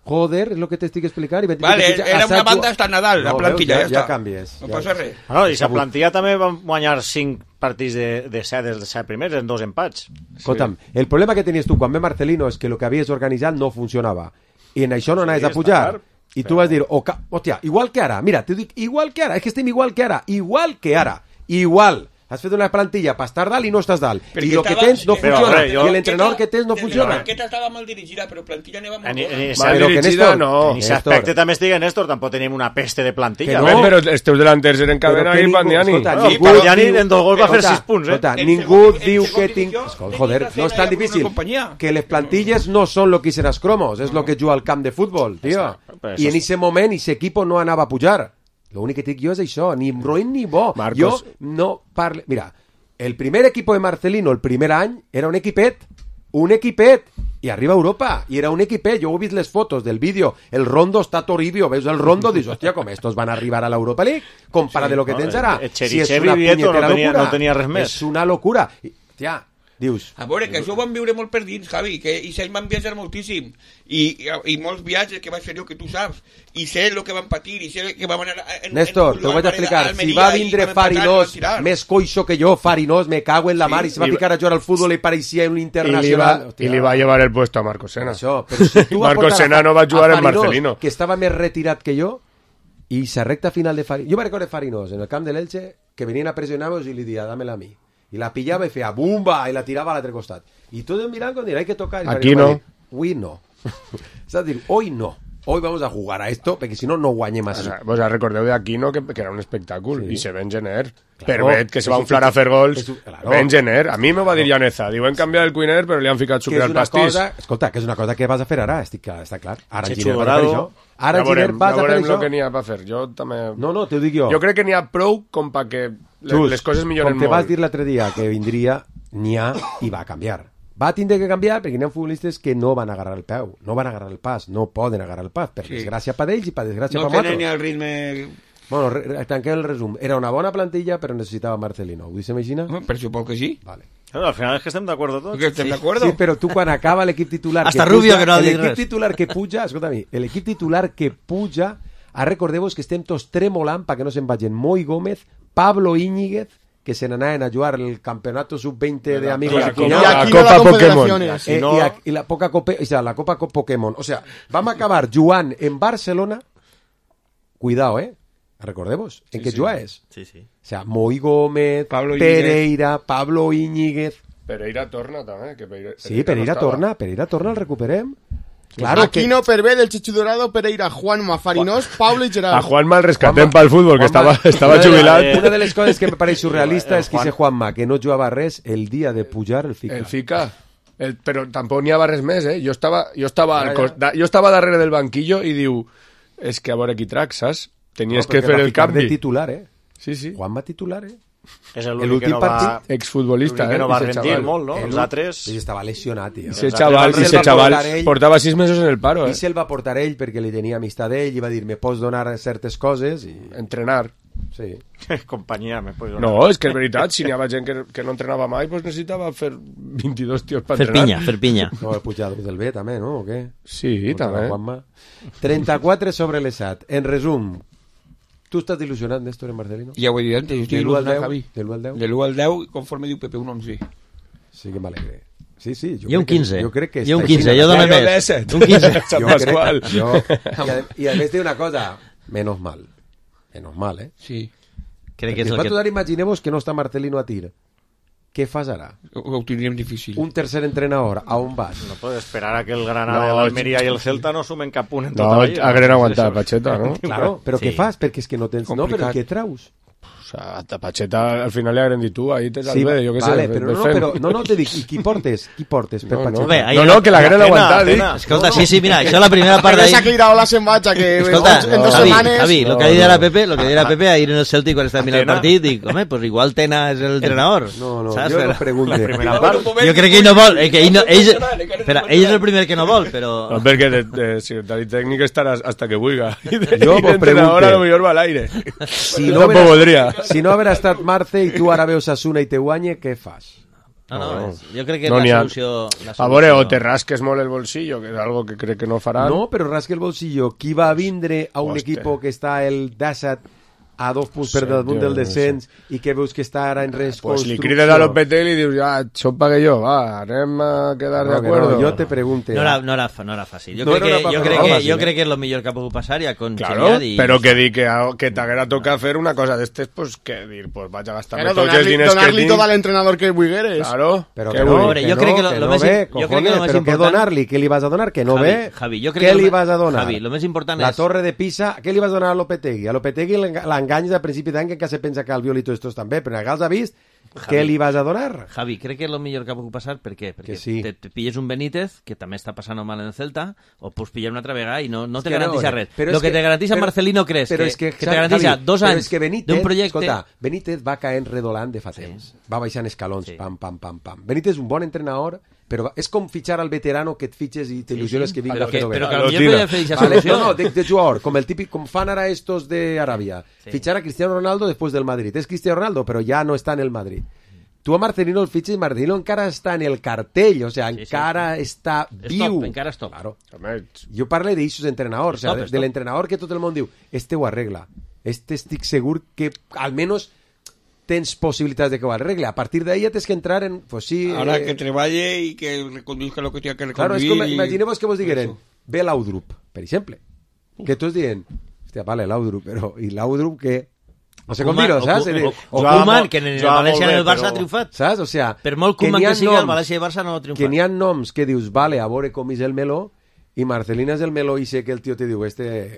Joder, és el que t'estic explicant. Vale, era una banda hasta Nadal, la plantilla, ja canvies. No passa res. I la plantilla també van guanyar 5 partits de 7 dels 7 primers en 2 empats. Escolta'm, el problema que tenies tu quan ve Marcelino és que el que havies organitzat no funcionava. I en això no anaves a pujar. I tu vas dir, hòstia, igual que ara. Mira, t'ho dic, igual que ara. És que estem igual que ara. Igual. Has fet una plantilla per estar dalt i no estàs dalt. I el que tens no funciona. I l'entrenador que tens no funciona. La banqueta estava mal dirigida, però plantilla anava molt mal dirigida, no. En aquest aspecte també estic en Néstor, tampoc tenim una peste de plantilla. Però els teus delanters eren Cadena i Pandiani. Pandiani en 2 gols va fer 6 punts. Ningú diu que tinc... Joder, no és tan difícil. Que les plantilles no són lo que hicieron els cromos, és lo que juga al camp de futbol, tio. I en ese moment, ese equipo no anava a pujar. L'únic que dic jo és això, ni roïn ni bo. Marcos. Jo no parlo... Mira, el primer equipo de Marcelino, el primer any, era un equipet, i arriba a Europa, i era un equipet. Jo he vist les fotos del vídeo, el Rondo està Toribio, veus el Rondo, dius, hòstia, com estos van arribar a l'Europa League, compara de lo que tens ara. Si és una punyetera locura, no tenia res més. És una locura. Hòstia, dius... A veure, que això ho vam viure molt per dins, Javi, i ells van viatjar moltíssim, i molts viatges que vaig fer jo, que tu saps, i sé el que van patir, i sé que vam anar... Néstor, t'ho vaig explicar, si va vindre Farinós, més coixo que jo, Farinós, me cago en la mar, i se va ficar a jugar al futbol i pareixia un internacional... I li va llevar el puesto a Marcos Sena. Marcos Sena no va jugar en Marcelino. Que estava més retirat que jo, i la recta final de Farinós... Jo me recordo Farinós, en el camp de l'Elche, que venien a pressionar-nos i li dia, dámela a mi. I la pillava i feia bumba i la tirava a l'altre costat. I tots mirant com dir, hay que tocar. Aquí no. Avui no. És a dir, hoy no. Hoy vamos a jugar a esto, perquè si no, no guanyem així. Vos recordeu d'Aquino que era un espectacle, i se ven gener. Permet que se va inflar a fer gols. Ben gener. A mi me va dir Llaneza. Diu, hem canviat el cuiner, però li han ficat sucre al pastís. Escolta, que és una cosa que vas a fer ara, està clar. Ara Giner vas a fer això. Ara Giner vas a fer això. Ja veurem el que n'hi ha per fer. Jo també... No, t'ho dic jo. Jo crec que n'hi ha prou com perquè les coses milloren molt. Com te vas dir l'altre dia que vindria, n'hi ha i va canviar. Va tindre que canviar perquè hi ha futbolistes que no van agarrar el peu, no van agarrar el pas, no poden agarrar el pas, per desgràcia per ells i per desgràcia per nosaltres. No tenen ni el ritme... Bueno, tanquem el resum. Era una bona plantilla, però necessitava Marcelino. ¿Ho dice Meixina? Per suposo que sí. Vale. Al final es que estem d'acord tots. Que estem d'acord. Sí, però tu quan acaba l'equip titular... Hasta Rubio que no ha dit res. L'equip titular que puja, escolta-mi, l'equip titular que puja, recordeu-vos que estem tots tremolant perquè no se'n vagin Moi Gómez, Pablo Íñiguez, que se n'anaven a jugar el campeonato sub-20 de amigos y la Copa Pokémon y la la Copa Pokémon. O sea, vamos a acabar jugant en Barcelona. Cuidado, recordemos en qué jugáis. Sí, sí. O sea, Moi Gómez, Pereira, Pablo Íñiguez. Pereira torna també. Sí, Pereira torna, el recuperem. Claro, Aquino, Pervé, del Chechu Dorado, Pereira, Juanma, Farinós, Pablo y Gerard. A Juanma el rescatem pel futbol, que estava jubilat. Una de les coses que me pareix surrealista és que dice Juanma, que no jugava res el dia de pujar el Fica. El Fica. Però tampoc n'hi havia res més, Jo estava darrere del banquillo i diu, és que a veure qui trac, saps? Tenies que fer el canvi. De titular, Sí, sí. Juanma titular, És l'únic que no va... Exfutbolista, que no va rendir molt, no? Els altres... Sí, estava lesionat, tio. I ese xaval portava 6 mesos en el paro, I se'l va portar ell perquè li tenia amistat d'ell i va dir, me pots donar certes coses i... Entrenar. Sí. Companyia, me puedo No, és que és veritat, si n'hi havia gent que no entrenava mai, doncs necessitava fer 22 tios per entrenar. Fer pinya. No, el Puigdemont del B també, no? O què? Sí, també. 34 sobre l'ESAT. En resum, tu estàs il·lusionat, Néstor, en Marcelino? Ja ho he dit antes, jo estic il·lusionat, Javi. De l'1 al 10? De l'1 al 10, conforme diu Pepe, un 11. Sí que m'alegre. Sí, I un 15. Jo crec que I un 15, jo dono més. Un 15. I a més té una cosa, menos mal. Menos mal, eh? Sí. Crec que és el que... Nosaltres imaginemos que no està Marcelino a tir. Què fas ara? Ho tindríem difícil. Un tercer entrenador, a on vas? No puedes esperar a que el Granada, l'Almeria i el Celta no sumen cap punt en tota la lliga. No, hagueren aguantat Pacheta, no? Claro, però què fas? Perquè és que no tens... No, però què traus? O sea, a Pacheta al final li hagueren dit tu, ahí tens el B, jo què vale, sé. Però no, te dic, i qui portes per Pacheta? Bé, no, que l'hagueren aguantat, dic. Escolta, sí, mira, això la primera part d'ahir... S'ha aclirat la setmana, que escolta, en 2 setmanes... Javi, lo que dirà Pepe ahir en el Celtic quan estava mirant el partit, dic, home, pues igual Tena és el entrenador. No, saps? jo no pregunte. Jo crec que ell no vol, espera, ell és el primer que no vol, però... No, perquè de secretari tècnic estaràs hasta que vulga. Jo vos pregunte. A lo millor va a l'aire. Si no haver estat Marce i tu ara veus Asuna i te guanye, què fas? No, jo crec que és la solució... A veure, o te rasques molt el bolsillo, que és algo que crec que no faran. No, però rasque el bolsillo. Qui va a vindre a un equip que està el Dassat a 2 punts per damunt del descens i que veus que està ara en reconstrucció? Pues li crides a Lopetegui i li dius, ja, això pague jo, va, anem a quedar de acuerdo. No, jo te pregunte. No era fàcil. Jo crec que és el millor que ha pogut passar ja con Xeriat i... Però que dir que t'haguera tocat fer una cosa d'estes, pues que dir, pues vaig a gastar-me tots els diners que tinc. Donar-li tot a l'entrenador que vulgueres. Claro. Però que no ve, cojones, però què donar-li? Què li vas a donar? Que no ve? Què li vas a donar? Javi, lo més important és... La torre de Pisa, què li vas donar a Lopetegui? A Lopetegui l'enganyes a principi d'any que se pensa que el Violito estos també, però ja els ha vist. Què li vas a donar? Javi, crec que és el millor que ha pogut passar. Per què? Perquè te pilles un Benítez, que també està passant mal en el Celta, o pots pillar una altra vegada i no te garanteix res. Lo que te garanteix Marcelino creus que te garanteix 2 anys d'un projecte... Escolta, Benítez va caent redolant de fa temps. Va baixant escalons, pam, pam, pam, pam. Benítez és un bon entrenador, però és com fitxar al veterano que et fitxes i t'il·lusiones que vingui. Però que potser podria fer aquesta solució. No, de jugador, com el típic, com fan ara estos de Aràbia. Fitxar a Cristiano Ronaldo després del Madrid. És Cristiano Ronaldo, però ja no està en el Madrid. Tu a Marcelino el fitxes i Marcelino encara està en el cartell, o sea, encara està viu. Encara és top. Claro. Jo parlo d'eixos entrenadors, o sea, de l'entrenador que tot el món diu, ho arregla. Estic segur que almenys tens possibilitats de que ho arregle. A partir d'ahí ja tens que entrar en... Pues sí, ahora que treballe i que reconduzca lo que tenga que reconduir. Claro, és com, imaginemos que vos digueren, ve l'Audrup, per exemple. Que tu es dient, hòstia, vale, l'Audrup, però, i l'Audrup què? No sé com dir-ho, saps? O Koeman, que en el València en el Barça ha triomfat. Saps? O sea, per molt Koeman que sigui, el València i el Barça no ha triomfat. Que n'hi ha noms que dius, vale, a veure com és el meló, i Marcelina és el meló i sé que el tio te diu,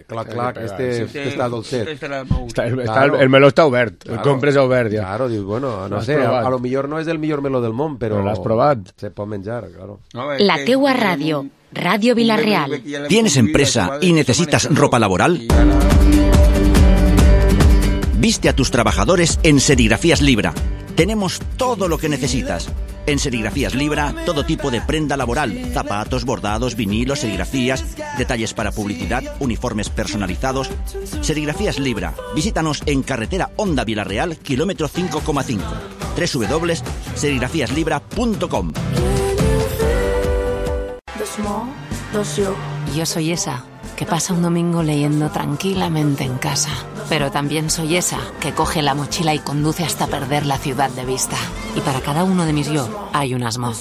clac, està dolcet. El meló està obert, el compres obert ja. Claro, dius, bueno, no sé, a lo millor no és el millor meló del món, però l'has provat. Se pot menjar, claro. La teua ràdio, Ràdio Vilarreal. ¿Tienes empresa y necesitas ropa laboral? Viste a tus trabajadores en Serigrafías Libra. Tenemos todo lo que necesitas. En Serigrafías Libra, todo tipo de prenda laboral, zapatos, bordados, vinilos, serigrafías, detalles para publicidad, uniformes personalizados. Serigrafías Libra. Visítanos en carretera Honda Vilarreal, kilómetro 5,5. www.serigrafiaslibra.com. Yo soy esa que pasa un domingo leyendo tranquilamente en casa. Pero también soy esa que coge la mochila y conduce hasta perder la ciudad de vista. Y para cada uno de mis yo hay un asmo.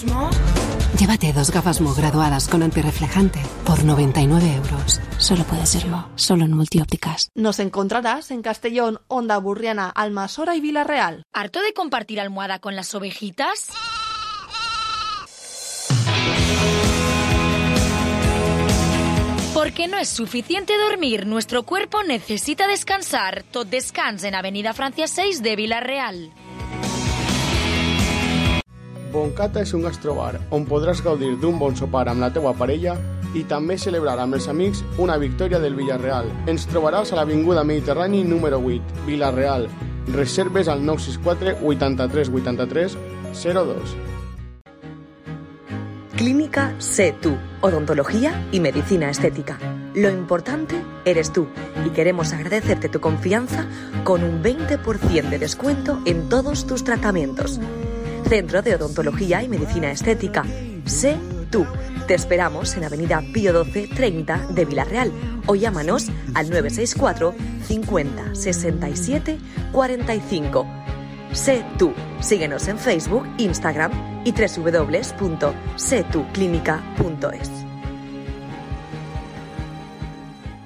Llévate 2 gafas Mo graduadas con antirreflejante por 99 euros. Solo puede serlo, solo en Multiópticas. Nos encontrarás en Castellón, Honda Burriana, Almasora y Villarreal. ¿Harto de compartir almohada con las ovejitas? Porque no es suficiente dormir, nuestro cuerpo necesita descansar. Tot descans en Avenida Francia 6 de Vilarreal. Boncata és un gastrobar on podràs gaudir d'un bon sopar amb la teua parella i també celebrar amb els amics una victòria del Villarreal. Ens trobaràs a l'Avinguda Mediterrani número 8, Vilarreal. Reserves al 964 83 83 02. Clínica Sé Tú, odontología y medicina estética. Lo importante eres tú y queremos agradecerte tu confianza con un 20% de descuento en todos tus tratamientos. Centro de Odontología y Medicina Estética. Sé Tú. Te esperamos en Avenida Pío 12 30 de Villarreal o llámanos al 964 50 67 45. Sé Tú. Síguenos en Facebook, Instagram y www.setuclinica.es.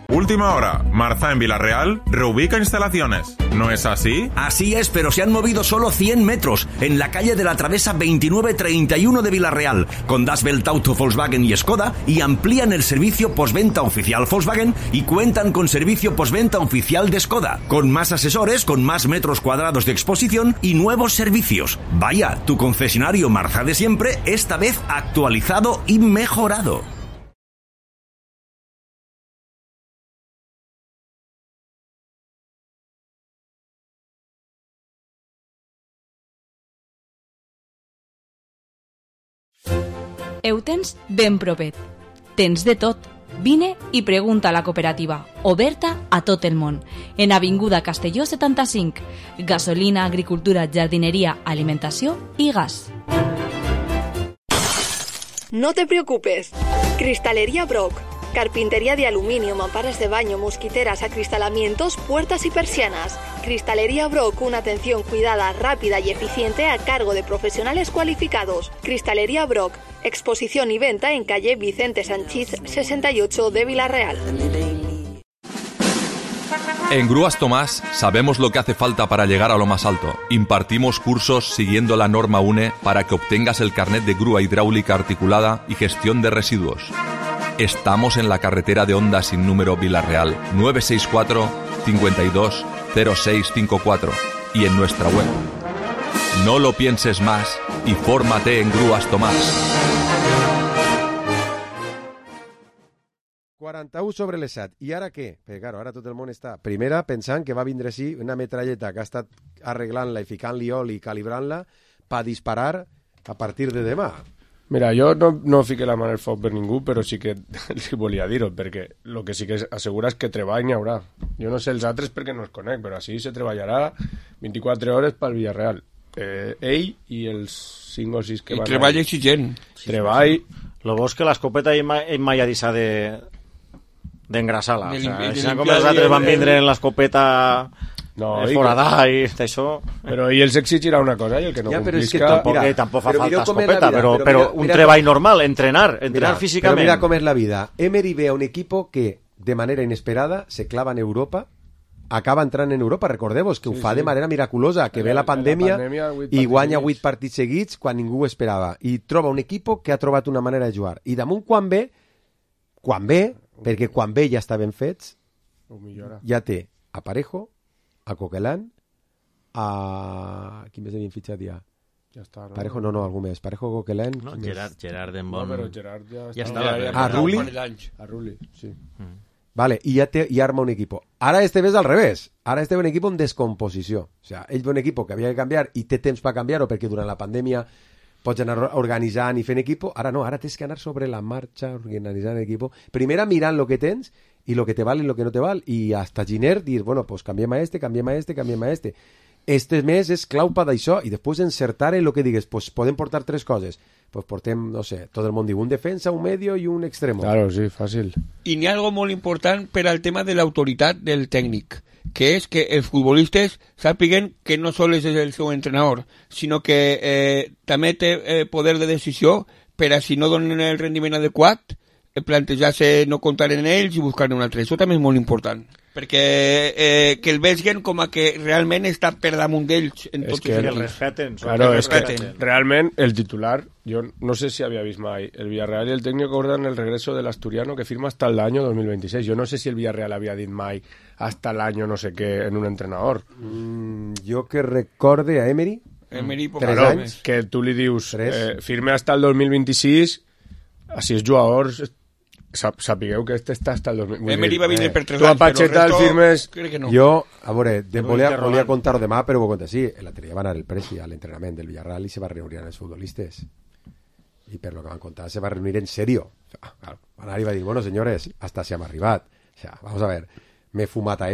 Última hora. Marza en Villarreal reubica instalaciones. ¿No es así? Así es, pero se han movido solo 100 metros en la calle de la Travesa 2931 de Villarreal, con Das Welt Auto, Volkswagen y Skoda, y amplían el servicio postventa oficial Volkswagen y cuentan con servicio postventa oficial de Skoda, con más asesores, con más metros cuadrados de exposición y nuevos servicios. Vaya, tu concesionario Marza de siempre, esta vez actualizado y mejorado. Ho tens ben propet. Tens de tot. Vine i pregunta a la cooperativa, oberta a tot el món. En Avinguda Castelló 75. Gasolina, agricultura, jardineria, alimentació i gas. No te preocupes. Cristalería Brock. Carpintería de aluminio, mamparas de baño, mosquiteras, acristalamientos, puertas y persianas. Cristalería Brock, una atención cuidada, rápida y eficiente a cargo de profesionales cualificados. Cristalería Brock, exposición y venta en calle Vicente Sanchís 68 de Villarreal. En Grúas Tomás sabemos lo que hace falta para llegar a lo más alto. Impartimos cursos siguiendo la norma UNE para que obtengas el carnet de grúa hidráulica articulada y gestión de residuos. Estamos en la carretera de Honda sin número Villarreal, 964 52 0654 y en nuestra web. No lo pienses más y fórmate en Grúas Tomás. 41 sobre les 7. I ara què? Perquè, claro, ara tot el món està... Primera, pensant que va vindre així una metralleta que ha estat arreglant-la i ficant-li oli i calibrant-la per disparar a partir de demà. Mira, jo no fiqué la mà en el foc per ningú, però sí que li volia dir-ho, perquè el que sí que assegura és que treball n'hi haurà. Jo no sé els altres perquè no els conec, però així se treballarà 24 hores pel Villarreal. Ell i els 5 o 6 que van... I treball exigent. Treball... Lo bo és que l'escopeta ell mai ha deixat d'engraçar-la. Com els altres van vindre en l'escopeta... No, foradà i d'això... Però i els exigirà una cosa, i el que no complisca... Tampoc fa falta escopeta, però un treball normal, entrenar físicament. Però mira com és la vida. Emery ve a un equipo que, de manera inesperada, se clava en Europa, acaba entrant en Europa, recordeu-vos que ho fa de manera miraculosa, que ve la pandèmia i guanya 8 partits seguits quan ningú ho esperava, i troba un equipo que ha trobat una manera de jugar. I damunt quan ve, perquè quan ve ja estaven fets, ja té a Parejo, a Coquelin, a... Qui més havien fitxat ja? Ja està. Parejo, no, algú més. Parejo, Coquelin... No, Gerard en bon... No, però Gerard ja estava. A Rulli? A Rulli, sí. Vale, i ja arma un equipo. Ara este ve al revés. Ara este ve un equipo en descomposició. O sea, ell ve un equipo que havia de canviar i té temps per canviar-ho perquè durant la pandèmia pots anar organitzant i fent equipo. Ara no, ara tens que anar sobre la marxa organitzant equipo. Primera mirant lo que tens y lo que te vale y lo que no te vale, y hasta Giner dir, bueno, pues canviem a este. Este mes és clau per d'això, i després encertar en lo que digues, pues podem portar 3 coses. Pues portem, no sé, tot el món diu, un defensa, un medio i un extremo. Claro, sí, fàcil. I n'hi ha algo molt important per al tema de l'autoritat del tècnic, que és que els futbolistes sàpiguen que no sols és el seu entrenador, sinó que també té poder de decisió per a si no donen el rendiment adequat, plantejar-se no comptar en ells i buscar un altre. Això també és molt important, perquè que el vegin com a que realment està per damunt d'ells en tots els el respeten. Claro, és que realment el titular, jo no sé si había vist mai, el Villarreal y el técnico acordan el regreso del asturiano que firma hasta el año 2026. Yo no sé si el Villarreal había dit mai hasta el año no sé qué en un entrenador. Jo que recorde a Emery, 3 anys, que tu li dius firme hasta el 2026, així els jugadors sapigueu que este està hasta el 2026. Emery va vindre per 3 anys, tu a Pacheta el firmes... No. Jo, a veure, volia contar-ho demà, però ho conto així. L'altre dia va anar el Presi a l'entrenament del Villarreal i se va reunir amb els futbolistes. i per lo que van contar se va reunir en serio. Claro, van anar i va dir, bueno, señores, hasta si hem arribat. O sea, vamos a ver, m'he fumat a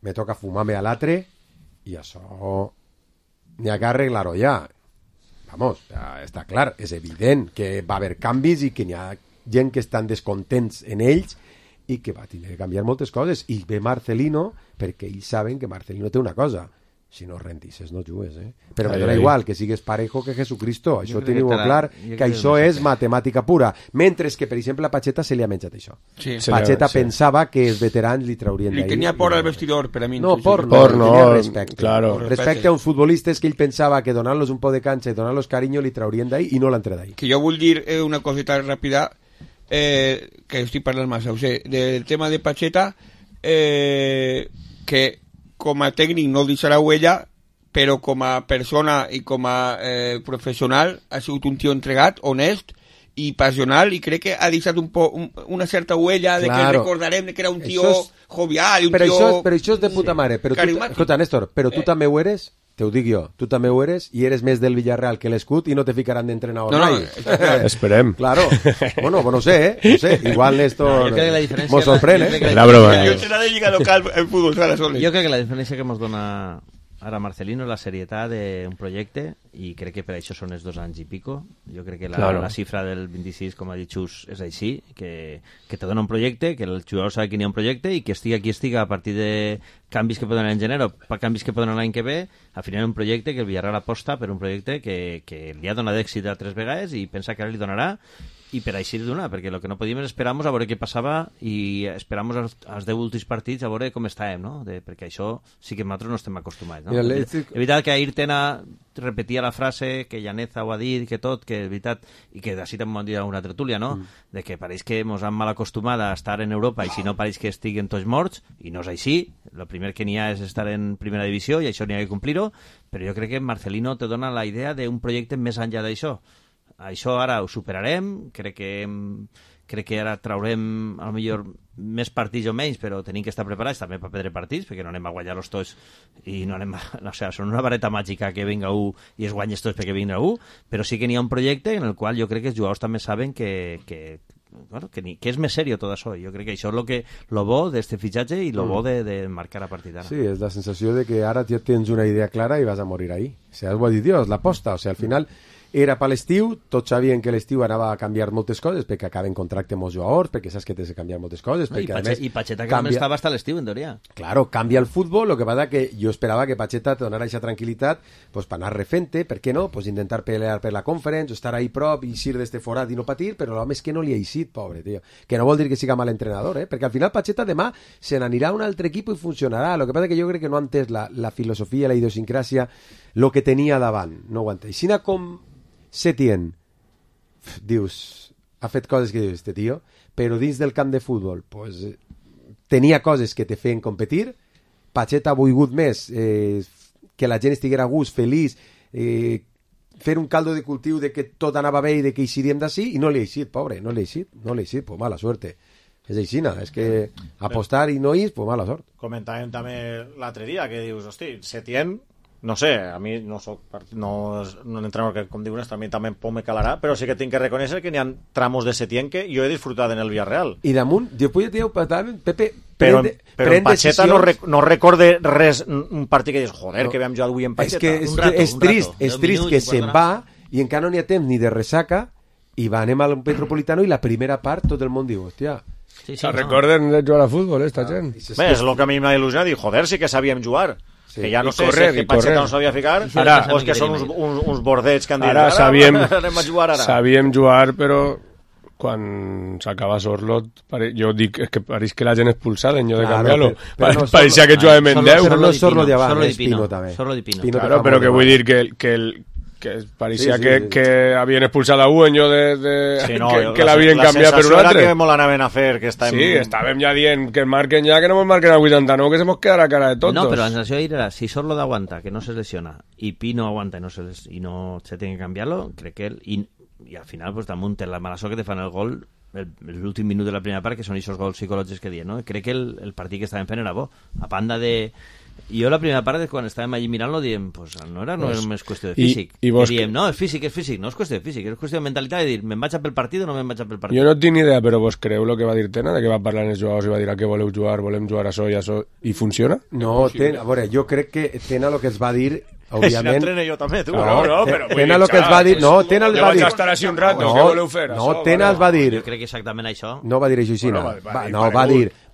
me toca fumar-me a l'altre, i això n'hi ha que arreglar-ho ja. Vamos, ja està clar, és evident que va haver canvis i que n'hi ha gent que estan descontents en ells i que va tenir que canviar moltes coses. I ve Marcelino perquè ells saben que Marcelino té una cosa: si no rendisses no jugues, però me dona igual que sigues Parejo que Jesucristo, això teniu clar, que això és matemàtica pura, mentre que per exemple a Pacheta se li ha menjat això. Sí. Pacheta pensava que els veterans li traurien d'ahí. Li tenia por al vestidor, per a mi. No, por no, tenia respecte. Claro. Respecte a uns futbolistes que ell pensava que donant-los un poc de canxa i donant-los carinyo li traurien d'ahí i no l'han tret d'ahí. Que jo vull dir una coseta ràpida, que estic parlant massa, del tema de Pacheta, que com a tècnic no deixarà huella, però com a persona i com a professional ha sigut un tio entregat, honest i passional, i crec que ha deixat una certa huella de que recordarem que era un tio jovial, un tio... Però això és de puta mare. Escolta, Néstor, però tu també ho eres? Te ho dic jo, tu també ho eres i eres més del Villarreal que l'Escut i no te ficaran d'entrenador mai. Esperem. Claro. Bueno, no sé, igual Néstor mos sorprèn, La broma. Jo serà de lliga local en futbol sala soles. Jo crec que la diferència que ens dona ara Marcelino és la serietat d'un projecte, i crec que per això són els 2 anys i pico. Jo crec que la xifra del 26, com ha dit Xus, és així, que te dona un projecte, que el jugador sabe que n'hi ha un projecte i que estiga qui estiga a partir de canvis que poden anar en gener o canvis que poden anar l'any que ve, al final un projecte que el Villarreal aposta per un projecte que li ha donat èxit a 3 vegades i pensa que ara li donarà, i per així li donar, perquè el que no podíem és esperar-nos a veure què passava i esperar-nos als 10 últims partits a veure com estàvem, no? Perquè això sí que nosaltres no estem acostumats, no? És veritat que Ayrton repetia la frase que Llaneza ho ha dit, que tot, que és veritat, i que d'ací també m'ho han dit a una tertúlia, no? De que pareix que ens han mal acostumat a estar en Europa i si no pareix que estiguen tots morts, i no és així. El primer que n'hi ha és estar en primera divisió i això n'hi ha que complir-ho, però jo crec que Marcelino te dona la idea d'un projecte més enllà d'això. Això ara ho superarem, crec que ara traurem a lo millor més partits o menys, però tenim que estar preparats també per perdre partits, perquè no anem a guanyar-los tots i no anem o sigui, són una vareta màgica que vinga un i es guanyes tots perquè vinga un, però sí que n'hi ha un projecte en el qual jo crec que els jugadors també saben que és més serio tot això. Jo crec que això és lo bo d'este fitxatge i lo bo de marcar a partir d'ara. Sí, és la sensació de que ara ja tens una idea clara i vas a morir ahí. O sigui, ho ha dit Dios, l'aposta. O sigui, al final era per l'estiu, tots sabien que l'estiu anava a canviar moltes coses, perquè acaben contracte molts jugadors, perquè saps que tens de canviar moltes coses, perquè a més... I Pacheta que també estava hasta l'estiu, en teoria. Claro, canvia el futbol, lo que passa que jo esperava que Pacheta te donara aquesta tranquil·litat pues, per anar refent-te, per què no? Pues intentar pelear per la conference, estar ahí prop i eixir d'este forat i no patir, però l'home és que no li ha eixit, pobre, tio. Que no vol dir que siga mal entrenador, perquè al final Pacheta demà se n'anirà a un altre equip i funcionarà. Lo que passa que jo crec que no ha entès la filosofia, la idiosincràsia, lo que tenia davant. No ho ha entès. Sina com Setién, dius, ha fet coses que dius, este tio, però dins del camp de futbol pues, tenia coses que te feien competir. Pacheta ha volgut més que la gent estiguera a gust, feliç, fer un caldo de cultiu de que tot anava bé i de que eixiríem d'ací, i no li ha eixit, pobre, no li ha eixit, pues mala suerte. És aixina, és que apostar i no ir, pues mala sort. Comentàvem també l'altre dia que dius, hosti, Setién, no sé, a mi no soc no un entrenador que, com diu Néstor, a mi també me calarà, però sí que tinc que reconèixer que n'hi ha tramos de Setién que jo he disfrutat en el Villarreal. I damunt, després ja ho parlàvem, Pepe, però en Pacheta no recorde res, un partit que dius, joder, que vam jugar avui en Pacheta. És que és trist que se'n va i encara no n'hi ha temps ni de ressaca i va, anem al Metropolitano i la primera part tot el món diu, hòstia... Se recorden de jugar a futbol, esta gent. Bé, és el que a mi m'ha il·lusionat, dir, joder, sí que sabíem jugar. Sí, que ja no sé si que Pacheta no sabia ficar o és que són uns bordets que han dit ara anem a jugar ara. Sabíem jugar, però quan s'acaba Sorlot jo dic que pareix que la gent expulsada en lloc de canviar-lo, pareixia que jugàvem en 10. Però no és Sorlot d'avant, és Pino també. Claro, però que vull dir que pareixia que havien expulsat a un en lloc que l'havien canviat per un altre. La sensació era que molt anaven a fer, que estàvem... Sí, estàvem ja dient que marquen ja, que no ens marquen al 89, que se mos quedarà cara de tontos. No, però la sensació era, si Sorlot aguanta, que no se lesiona, i Pino aguanta i no se tiene que canviar-lo, crec que él... I al final, pues, damunt la mala sort que te fan el gol, l'últim minut de la primera part, que són aquests gols psicològics que diem, no? Crec que el partit que estàvem fent era bo, a banda de... Jo la primera part, quan estàvem allí mirant-lo, diem, pues no és només qüestió de físic. I diem, no, és físic, no és qüestió de físic, és qüestió de mentalitat, de dir, me'n vaig a pel partit o no me'n vaig a pel partit. Jo no tinc ni idea, però vos creu el que va dir Tena, de que va parlar amb els jugadors i va dir a què voleu jugar, volem jugar a això, i funciona? No, a veure, jo crec que Tena el que es va dir... Òbviament... Si l'entrene jo també, tu. No, però... Tena el que es va dir... No, Tena el va dir... Ja vaig estar així un rato, què voleu fer? No, Tena el va dir... Jo crec que exactament això... No va dir això així, no.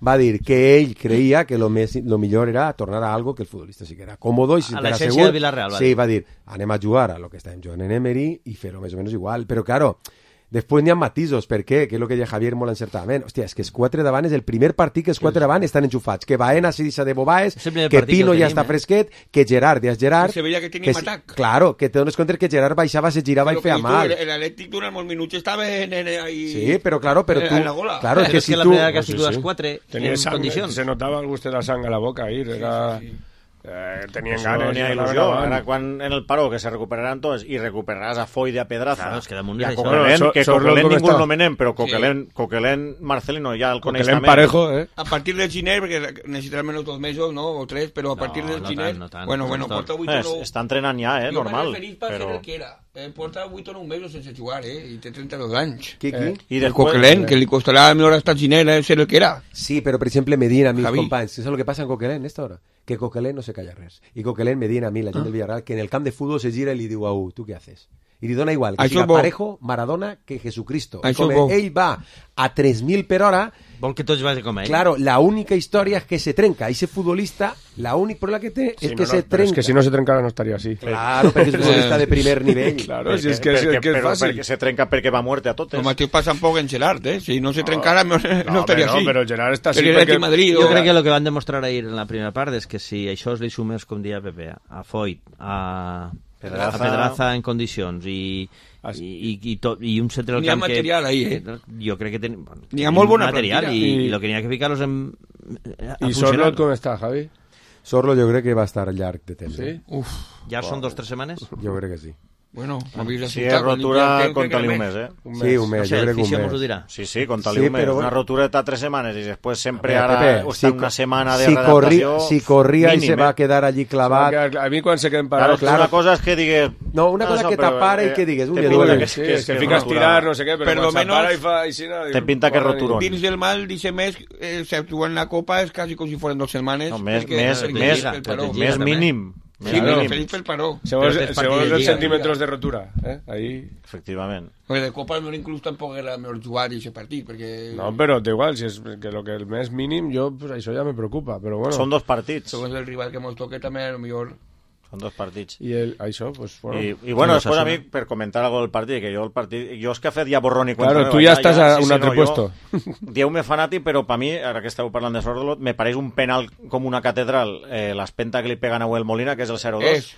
Va dir que ell creia que lo millor era tornar a algo que el futbolista sí que era còmodo i si a l'essència de Villarreal, sí, va dir, anem a jugar a lo que estàvem jugant en Emery i fer-ho més o menys igual, però claro... Després n'hi ha matisos, per què? Que és el que deia Javier molt encertadament. Hòstia, és que els 4 davant és el primer partit que els 4 davant estan enxufats. Que Baena se deixa de Bobaes, que Pino ja està fresquet, que Gerard ja és Gerard... Que se veia que tenim atac. Claro, que te dones compte que Gerard baixava, se girava i feia mal. L'Atlètic durant molts minuts estava ahí... Sí, però claro, tu... Claro, és que si tu... La primera que ha sigut les 4 en condicions. Se notava el gust de la sang a la boca ahir, era... tenien ganes, n'hi ha il·lusió. Ara quan en el paró que se recuperaran tots i recuperaràs a Foy de a Pedraza, claro, és que damunt i a Coquelin, que Coquelin ningú el nomenem, però Coquelin Marcelino ja el coneix també. Parejo, a partir del Giner, perquè necessitarà menys 2 mesos, no? O 3, però a partir del Giner... Bueno, porta 8 o 9... Està entrenant ja, normal. Jo m'he referit per ser el que era. Porta 8 o 9 mesos sense jugar, i té 32 anys. Qui? El Coquelin, que li costarà millor hasta el Giner ser el que era. Sí, però per exemple Medina, mis companys, ¿sabes lo que pasa en Coquelin esta hora? Que Coquelin no se calla res. I Coquelin me diuen a mi, la gent del Villarreal, que en el camp de futbol se gira i li diu a tu què haces? I li dona igual, que siga Parejo, Maradona, que Jesucristo. Com ell va a 3.000 per hora... Vol que tots vagin com ell. Claro, la única història és que se trenca. Ese futbolista, la única problema que té és que se trenca. És que si no se trencara no estaria així. Claro, perquè és futbolista de primer nivell. Claro, si és que és fàcil. Perquè se trenca perquè va muerte a totes. El mateix passa un poc en Gerard, Si no se trencara no estaria així. No, però Gerard està així perquè... Jo crec que el que van demostrar ahir en la primera part és que si això li sumes, com deia Pepe, a Foyt, a Pedraza en condicions i un centre del camp que... N'hi ha material ahí, Jo crec que n'hi ha molt bona material i el que n'hi ha que ficar-los en... I Sorlot com està, Javi? Sorlo jo crec que va estar llarg de temps. Sí? Ja són 2 o 3 setmanes? Jo crec que sí. Bueno, si és rotura, conta-li un mes, Sí, un mes, jo crec que un mes. Dirà. Sí, conta-li un mes. Una rotura de 3 setmanes i després sempre ara està una setmana de readaptació. Si corria i se va quedar allí clavat... A mi quan se queden parados... Claro, una cosa és que digues... No, una cosa que t'apara i que digues... Que fica a estirar, no sé què, però quan s'apara i fa... Te pinta que roturón. Dins del mal, dice mes, se actua en la Copa, és quasi com si fueran 2 setmanes. Més mínim. Sí, claro. Feliz pel paró. Segons els centímetres de rotura. Ahí... Efectivament. Porque de Copa no inclús tampoc era mejor jugar ese partit, perquè... No, però da igual, si és que lo que el més mínim, jo, pues, això ja me preocupa, però bueno... Són 2 partits. Segons el rival que mos toque també, a lo millor... Són 2 partits. I això, pues, bueno... I bueno, després a mi, per comentar algo del partit, que jo és que ha fet ja borrón i cuenta nueva. Claro, tu ja estàs a un altre puesto. Dieu-me fanàtic, però per mi, ara que esteu parlant de Sorlot, me pareix un penal com una catedral, l'espenta que li peguen a Huel Molina, que és el 0-2.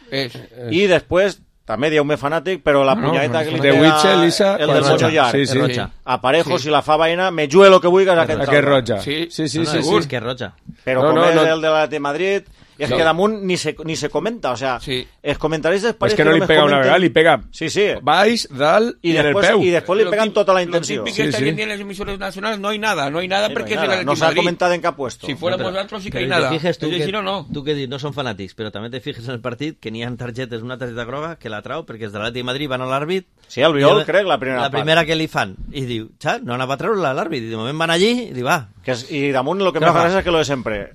I després... També dieu-me fanàtic, però la punyaleta que li pega el del Mocho Llarg, a Parejo, si la fa Baena, me jugue lo que vulguis aquest roja. Sí, és que és roja. Però com és el de la de Madrid... És que damunt ni se comenta, o sea, els comentaris és que no li pega una vegada, li pega baix, dalt i en el peu. I després li peguen tota la intenció. Lo típico que hoy en día en las emisoras nacionales no hay nada porque es el no s'ha comentat en cap puesto. Si fuéramos otros sí que hay nada. Tu que dius, no són fanàtics, però també te fijes en el partit que n'hi ha targetes, una targeta groga que la trau perquè és de l'Atlètic de Madrid, van a l'àrbit. Sí, el Viol, crec, la primera part. La primera que li fan. I diu, xat, no anava a treure-la a l'àrbit. I de moment van allí i diu, va. I damunt el que me fa gràcia és que lo de sempre.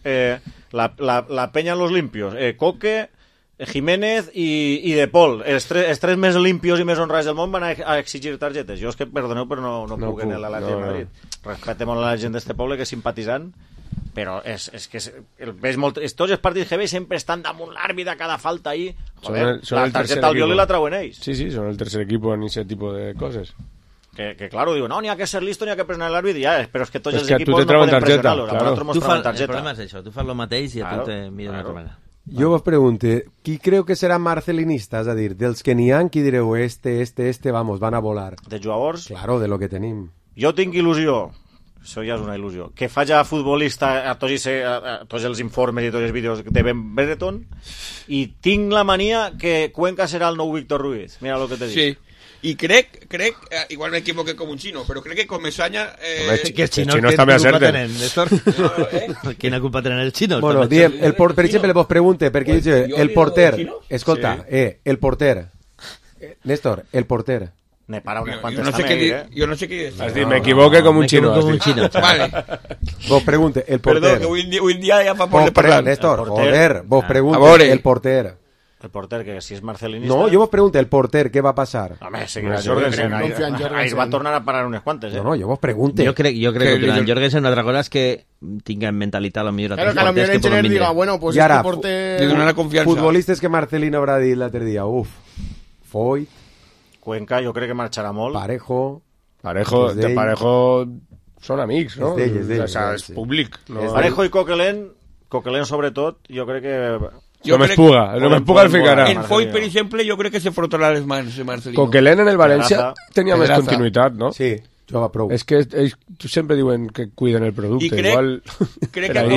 La peña en los limpios, Coque, Jiménez i De Paul, els tres més limpios i més honrats del món van a exigir targetes. Jo és que, perdoneu, però no puc en l'Atlètic de Madrid. Respecte molt a la gent d'este poble, que és simpatitzant, però és que tots els partits que veig sempre estan damunt l'àrbit a cada falta ahí. Joder, la targeta al Viol i la trauen ells. Sí, són el tercer equipo en aquest tipus de coses. Que claro, digo, no, n'hi ha que ser listo, n'hi ha que presionar l'àrbit, ja, però és que tots els equipos no poden pressionar-lo. El problema és això, tu fas el mateix i a tu te mira d'una altra manera. Jo vos pregunto, qui creu que serà marcelinista? És a dir, dels que n'hi ha, qui direu, vamos, van a volar? De jugadors? Claro, de lo que tenim. Jo tinc il·lusió, això ja és una il·lusió, que faci futbolista a tots els informes i tots els vídeos de Ben Brereton, i tinc la mania que Cuenca serà el nou Víctor Ruiz. Mira el que te dic. Sí. Y crec, igual me equivoqué com un xino, però crec que Comesaña... Que els xinos també acerten. Quina culpa tenen els xinos? Bueno, diem, per exemple, vos pregunte, perquè el porter, escolta, el porter, Néstor, el porter. Ne para unes Jo quantes no sé també, què jo no sé què dir. Has dit, m'equivoque com un xino. Vale. Vos pregunte, el porter. Perdó, que avui en dia ja fa por de parlar. Néstor, joder, vos pregunte, el porter. El porter, que si és marcelinista... No, jo vos pregunto, el porter, què va passar? Home, seguirà Jorgensen. Ahir va tornar a parar unes quantes, No, jo vos pregunte. Jo crec que el Jorgensen una altra cosa és que tinga en mentalitat potser Claro, que a lo mejor el engineer diga, bueno, pues este porter... Le donarà confiança. Futbolistes que Marcelino habrá dit l'altre dia, Foyt, Cuenca, jo crec que marxarà molt. Parejo són amics, no? És públic. Parejo i Coquelin sobretot, jo crec que... No m'espuga el ficarà. En Foyt, per exemple, jo crec que se frotarà les mans de Marcelino. Coquelin en el València tenia més continuïtat, no? Sí, jugava prou. És que ells sempre diuen que cuiden el producte. I crec que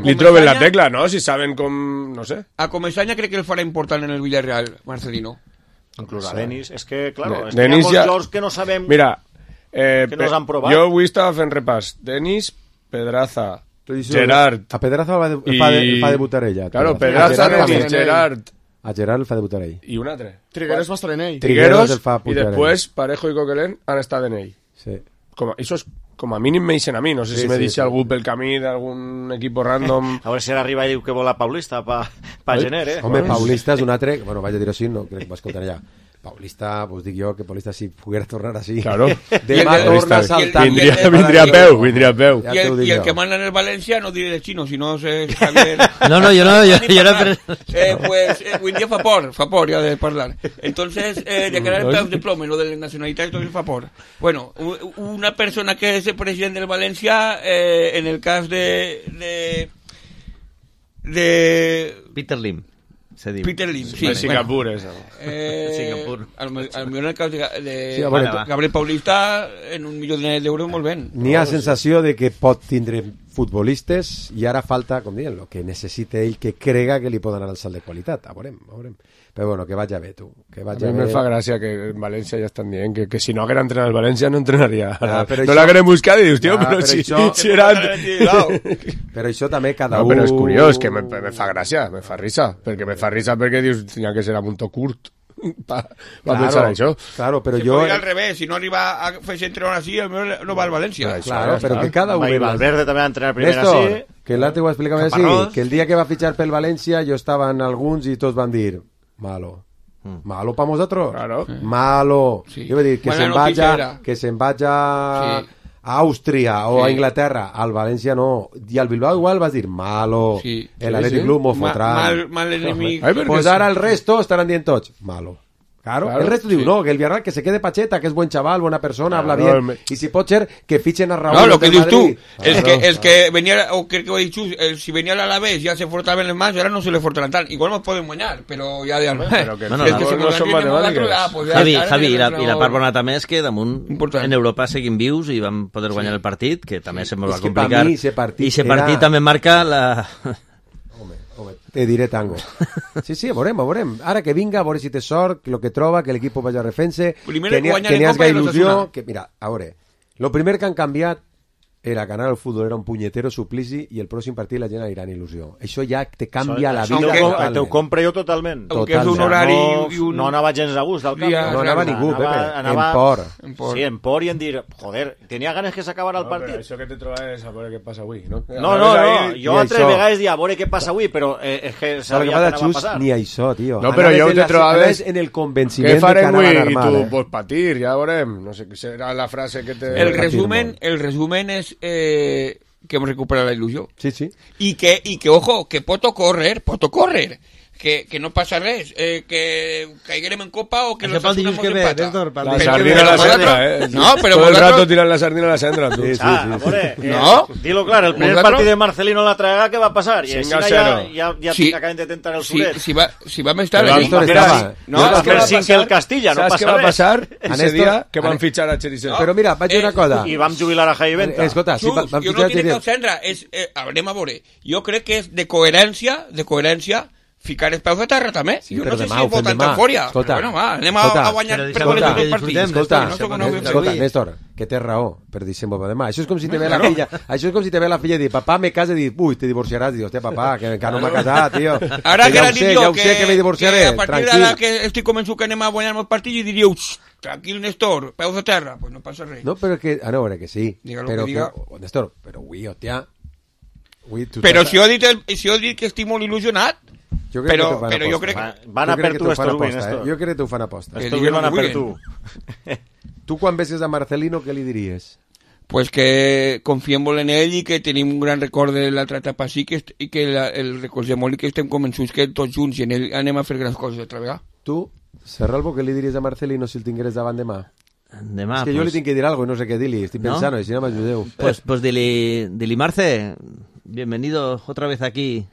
li troben la tecla, no? Si saben com... no sé. A Comesaña crec que el farà important en el Villarreal, Marcelino. Inclús a Denis. És que, claro, hi ha molts jugadors que no sabem... Mira, que no els han provat. Jo avui estava fent repàs. Denis, Pedraza, Gerard... A Pedraza fa debutar ella. Claro, Pedraza, Denis, Gerard... A Gerard el fa debutar ell. I un altre. Trigueros va estar en ell. Trigueros i després Parejo i Coquelin han estat en ell. Sí. Això és com a mínim me dicen a mi, no sé si me dice algú pel camí d'algun equip random. A veure si ara arriba i diu que vol a Paulista pa gener, Home, Paulista és un altre, bueno, vaig a dir-ho així, no crec que m'escoltaré ja. Paulista, pues dic jo que Paulista si poguera tornar així. Claro. Demà torna saltant. Vindria a peu. I el que manda en el València no diré de xino, sinó és Javier... No, jo no... Pues avui dia fa por ja de parlar. Entonces, de quedar el peu de plomo, lo de la nacionalitat, tot fa por. Bueno, una persona que és el president del València, en el cas de Peter Lim. Peter Lim, sí. De Singapur, eso. Singapur. Al millor en el cas de Gabriel Paulista, en $1 milió d'euros, molt ben. N'hi ha sensació de que pot tindre futbolistes i ara falta, com diuen, el que necessita ell que crega que li poden anar el salt de qualitat. A veurem. Però bueno, que vagi bé, tu. A mi me fa gràcia que en València ja estan dient que si no haguera entrenat el València no entrenaria. No l'hagueren buscat i dius, tio, però si era... Però això també cada un... Però és curiós, que me fa gràcia, me fa risa, perquè dius, tenia que ser a punto curt pa pensar això. Claro, però jo... al revés, si no arriba a fer-se entrenar així, no va al València. Claro, però que cada un... I Valverde també va entrenar primera així. Que l'altre ho explicava així, que el dia que va fitxar pel València jo estava en alguns i tots van dir malo para vosotros, claro. Malo, sí. Yo voy a decir que se vaya a Austria o a Inglaterra, al Valencia no, y al Bilbao igual vas a decir malo, el Athletic Club m'ho fotrà, mal enemic, pues ara el resto estarán dient tots malo. Claro, el resto diu, no, que el Villarreal que se quede Pacheta, que es buen chaval, buena persona, habla bien, y si pot ser que fichen a Raúl. No, lo que dius tú, el que venía, o que he dicho, si venía al Alavés ya se fortaban el más, ahora no se le fortaran tal, igual nos pueden guanyar, però ja de pero que no són matemàtiques. Javi, i la part bona també és que damunt en Europa seguim vius i vam poder guanyar el partit, que també se ens va complicar, i ese partit també marca la... Te diré tango. Sí, veurem. Ara que vinga, a veure si té sort, lo que troba, que l'equip vagi a refense, que n'hi hagi il·lusió, que mira, a veure, lo primer que han canviat era ganar el futbol, era un punyetero suplici i el pròxim partit la gent anirà en il·lusió. Això ja te canvia la vida totalment. T'ho compre jo totalment. Aunque és un horari... No anava gens a gust al camp. No anava ningú, Pepe. En por. Sí, en por i en dir, joder, tenia ganes que s'acabara el partit. Això que te trobes a veure què passa avui, no? No, jo altres vegades dia a veure què passa avui, però és que sabia que anava a passar. Ni això, tio. No, però jo te trobaves en el convenciment de que anaven armar. I tu, pues patir, ja veurem. No sé, serà la frase que te... El resumen és... que hemos recuperado la ilusión. Sí. Y que ojo, que poto correr. Que no passa res, que caiguem en copa o que nos hacemos empata. La sardina a la cendra, No, pero todo el rato tiran la sardina a la cendra. Sí. No. Dilo claro, el primer partido de Marcelino la traga, ¿qué va a pasar? Y ya acaben de tentar el suret. Si va a estar no, es que sin que el Castilla no passa res. ¿Sabes qué va a pasar ese día? Que van a fichar a Cheriseau. Pero mira, vaig dir una cosa. I vam jubilar a Javi Venta. Escolta, jo no diré que el Sendra és, haurem a veure, jo crec que és de coherència ficar els peus a terra també. Sí, jo però no sé demà si ho fem és demà. eufòria. Escolta, Però bueno, anem a guanyar per goles tots els partits. Escolta, Néstor, que té raó per dir-se'n per demà. Això és com si te ve la filla, això és com si te ve la filla i dir, papà, me casa, i dir, ui, te divorciaràs. Dius, hòstia, papà, que encara no m'ha casat, tio. Ara que ja ho sé, que me divorciaré, a partir d'ara que estic convençut que anem a guanyar els partits i diríeu, tranquil, Néstor, peus a terra. Pues no passa res. No, però que, a veure, que sí. Diga lo però que diga. Néstor, però ui, hòstia. Però si ho he dit que estic molt il·lusionat, però jo crec que... Van a per tu, Estorbi, Néstor. Jo crec que t'ho fan aposta. Estorbi van a per tu. Tu quan veses a Marcelino, què li diries? Pues que confiem molt en ell i que tenim un gran record de l'altra etapa sí i que el recordem molt i que estem convençuts que tots junts i en ell anem a fer grans coses altra vegada. Tu, Serralbo, què li diries a Marcelino si el tingueres davant demà? Demà, és que jo li tinc que dir algo i no sé què dir-li, estic pensant, i si no m'ajudeu. Pues dili, Marce, bienvenido otra vez aquí.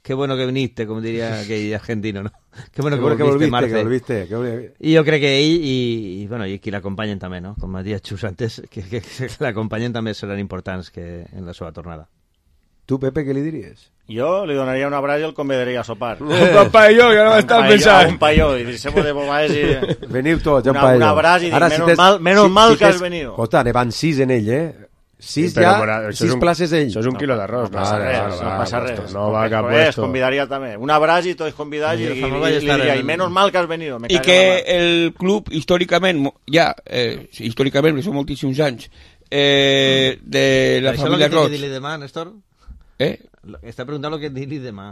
Qué bueno que viniste, como diría aquell argentino, ¿no? Qué bueno que volviste, Marce. Y yo creo que ell y bueno, y que l'acompanyen també, ¿no? Com ha dit Xus antes, que l'acompanyen també seran importants que en la seva tornada. Tu, Pepe, què li diries? Jo li donaria un abraç i el convidaria a sopar. Un paelló, ja no m'estava pensant. Un paelló, i deixem-ho de bobades i... Veniu tots, un paelló. Un abraç i dic, menos mal que has venido. Escolta, ne van 6 en ell, 6 ja, 6 places ell. Això és un quilo d'arròs. No passa res. No va cap puesto. Convidaria també. Un abraç i tots convidats i diria, i menos mal que has venido. I que el club, històricament, històricament, que són moltíssims anys, de la família Roig... ¿Això lo que dir-li demà, Néstor? Està preguntant lo que dir-li demà.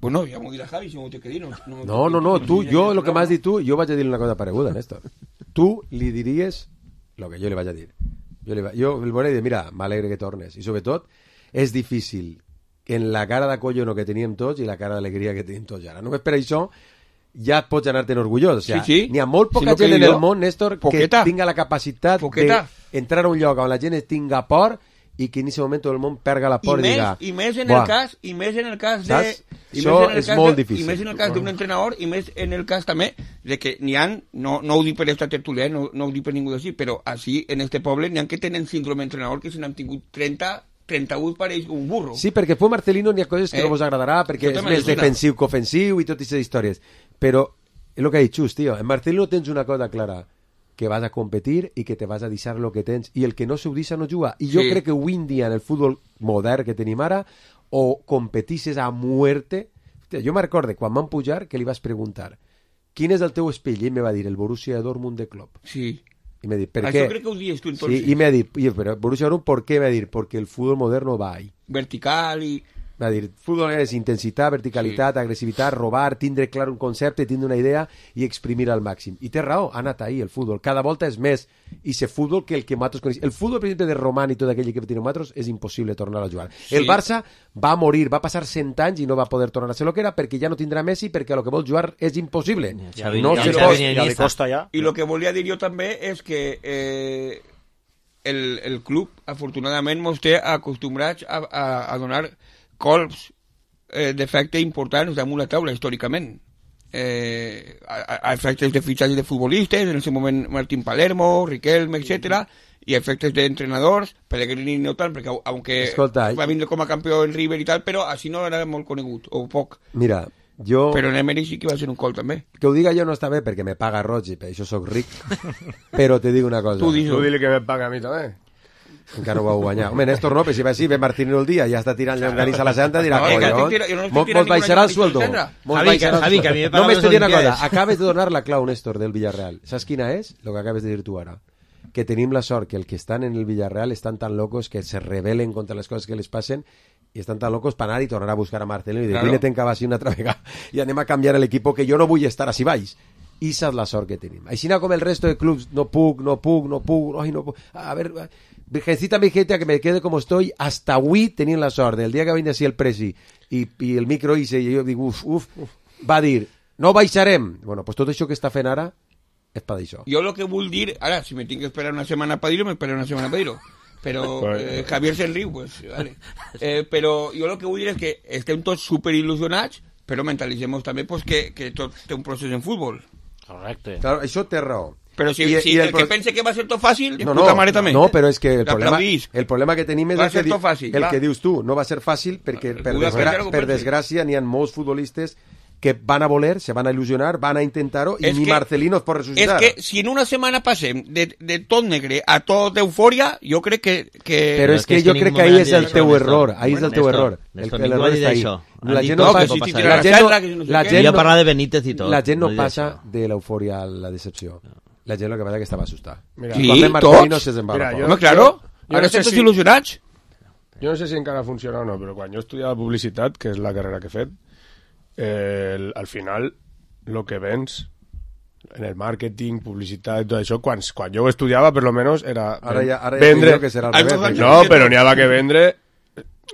Bueno, ja m'ho dirà Javi, si m'ho té que dir. No, tu, jo, el que m'has dit tu, jo vaig a dir una cosa pareguda, Néstor. Tu li diries el que jo li vaig a dir. Jo el veuré i dir, mira, m'alegre que tornes. I sobretot, és difícil en la cara de collono que teníem tots i la cara d'alegria que tenim tots ara. Només per això ja pots anar-te'n orgullós. O sea, n'hi ha molt poca gent en el món, Néstor, que tinga la capacitat d'entrar a un lloc on la gent tinga por i que en aquest moment tot el món perga la por i diga... I més en el cas de... Això és molt difícil. I més en el cas d'un entrenador, i més en el cas també de que n'hi ha, no ho dic per esta tertúlia, no ho dic per ningú d'ací, però així en este poble n'hi ha que tenen síndrome entrenador que se n'han tingut 38 pareix un burro. Sí, perquè per Marcelino n'hi ha coses que no vos agradarà, perquè és més defensiu que ofensiu i totes aquestes històries. Però, és el que ha dit Xus, tio, en Marcelino tens una cosa clara, que vas a competir i que te vas a deixar el que tens, i el que no s'ho deixa no juga. I jo crec que avui en dia en el futbol modern que tenim ara, o competisses a muerte... Hòstia, jo me recordo quan vam pujar que li vas preguntar quin és el teu espill, i ell me va dir el Borussia Dortmund de Klopp. Sí. I m'ha dit, per què? Això crec que ho dius tu entonces. Sí, i m'ha dit, però Borussia Dortmund, ¿por qué? M'ha dit, porque el fútbol moderno va ahí. Vertical i... Va dir, futbol és intensitat, verticalitat, agressivitat, robar, tindre clar un concepte, tindre una idea i exprimir al màxim. I té raó, ha anat ahí el futbol. Cada volta és més i se futbol que el que nosaltres coneixem. El futbol, per exemple, de Roman i tot aquell que tenim nosaltres és impossible tornar a jugar. Sí. El Barça va morir, va passar 100 anys i no va poder tornar a ser el que era perquè ja no tindrà Messi, perquè el que vol jugar és impossible. I el que volia dir jo també és que el club, afortunadament, mos té acostumbrats a donar colps d'efecte importants damunt la taula històricament, a efectes de fitxatge de futbolistes, en aquest moment Martín Palermo, Riquelme, etc., i efectes d'entrenadors, Pellegrini no tant, perquè aunque va vindre com a campió en River i tal, però així no era molt conegut, o poc. Mira, jo... Però en Emery sí que va ser un col també. Que ho diga jo no està bé perquè me paga Roig i per això soc ric, però te dic una cosa. Tu dile que me paga a mi també. Encara ho vau guanyar. Home, Néstor no, però si va així, ve Martínez el dia, ja està tirant llonganissa a la santa, dirà, mos baixarà el sueldo. Javi, que a mi me paga només te diré una cosa, acabes de donar la clau, Néstor, del Villarreal. Saps quina és? Lo que acabes de dir tu ara. Que tenim la sort que el que estan en el Villarreal estan tan locos que se rebelen contra les coses que les passen i estan tan locos per anar i tornar a buscar a Marcelino i dir, vine-te'n que va així una altra vegada i anem a canviar l'equip que jo no vull estar així baix. I esa és la sort que tenim. Així com el resto de clubs, no puc. A ver, Virgencita que me quede como estoy, hasta avui tenint la sort del dia que vindrà així el Presi i el micro hice, i jo dic, va dir, no baixarem. Bueno, pues tot això que està fent ara és per això. Jo el que vull dir, ara, si me tinc que esperar una setmana per dir-ho, m'esperaré una setmana per dir-ho. Però Javier se'n riu, pues, vale. Però jo el que vull dir és que estem tots superil·lusionats, però mentalitzem també pues, que tot té un procés en futbol. Correcte. Claro, això té raó. Però si el que pense que va ser tot fàcil, de puta mare també. No, però és que el problema que tenim és el que dius tu, no va ser fàcil perquè per desgràcia n'hi ha molts futbolistes que van a voler, se van a il·lusionar, van a intentar-ho i ni Marcelino es pot ressuscitar. És que si en una setmana passem de tot negre a tot eufòria, jo crec que... Però és que jo crec que ahí és el teu error, ahí és el teu error. L'error està ahí. La gent no passa... Jo parla de Benítez i tot. La gent no passa de l'eufòria a la decepció. La gent el que passa que estava assustada. Sí, tots. Home, claro. Ara estem desil·lusionats. Jo no sé si encara funciona o no, però quan jo estudiava publicitat, que és la carrera que he fet, al final lo que vens en el màrqueting, publicitat i tot això, quan jo ho estudiava per lo menos era vendre, que serà al revés, no, però n'hi havia que vendre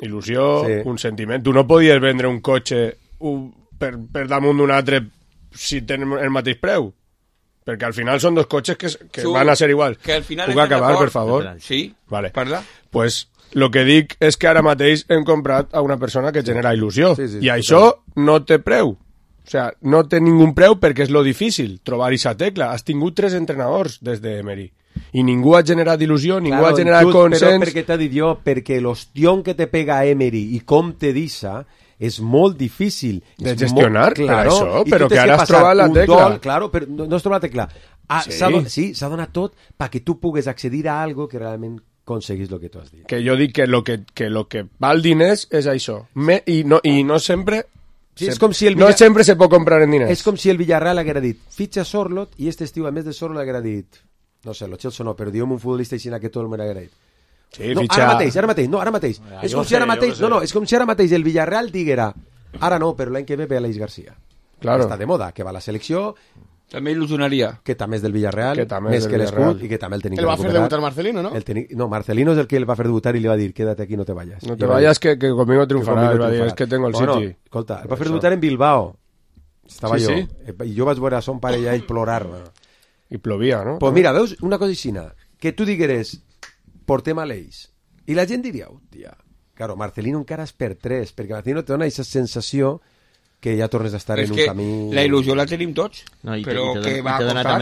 il·lusió, un sentiment. Tu no podies vendre un cotxe per damunt d'un altre si tenen el mateix preu, perquè al final són dos cotxes que van a ser iguals. Puc acabar, per favor? Sí, vale. parla. Pues lo que dic és que ara mateix hem comprat a una persona que genera il·lusió, i això no té preu. O sea, no té ningú preu perquè és lo difícil, trobar aquesta tecla. Has tingut 3 entrenadors des d'Emery i ningú ha generat il·lusió, ningú ha generat consens. Però perquè t'ha dit jo, perquè l'ostión que te pega Emery i com te deixa és molt difícil de gestionar, per això, però que ara has trobat la tecla. Claro, però no has trobat la tecla. S'ha donat tot perquè tu pugues accedir a algo que realment aconseguís el que tu has dit. Que jo dic que lo que val diners és això. I no sempre... Sí, és com si no sempre se pot comprar en diners. És com si el Villarreal haguera dit fitxa Sorloth i este estiu, a més de Sorloth, haguera dit, no sé, lo Chelsea no, però diu un futbolista així que tot el món haguera dit. Sí, no, fitxa... ara mateix. És com si ara mateix el Villarreal diguera, ara no, però l'any que ve Aleix García. Claro. Està de moda, que va a la selecció... També il·lusionaria. Que també és del Villarreal, més que l'escut, i que també el tenim que recuperar. El va fer debutar Marcelino, ¿no? No, Marcelino és el que el va fer debutar i li va dir, quédate aquí, no te vayas. No te vayas, que conmigo triunfarás. Es que tengo el City. Escolta, el va fer debutar en Bilbao. Estava jo. I jo vaig veure a son pare ja ell plorar. I plovia, no? Pues mira, veus una cosa aixina, que tu digueres, portem a l'Eix, i la gent diria, hòstia, claro, Marcelino encara és per 3, perquè Marcelino te dona aquesta sensació que ja tornes a estar en un camí... La il·lusió la tenim tots, però que va a costar...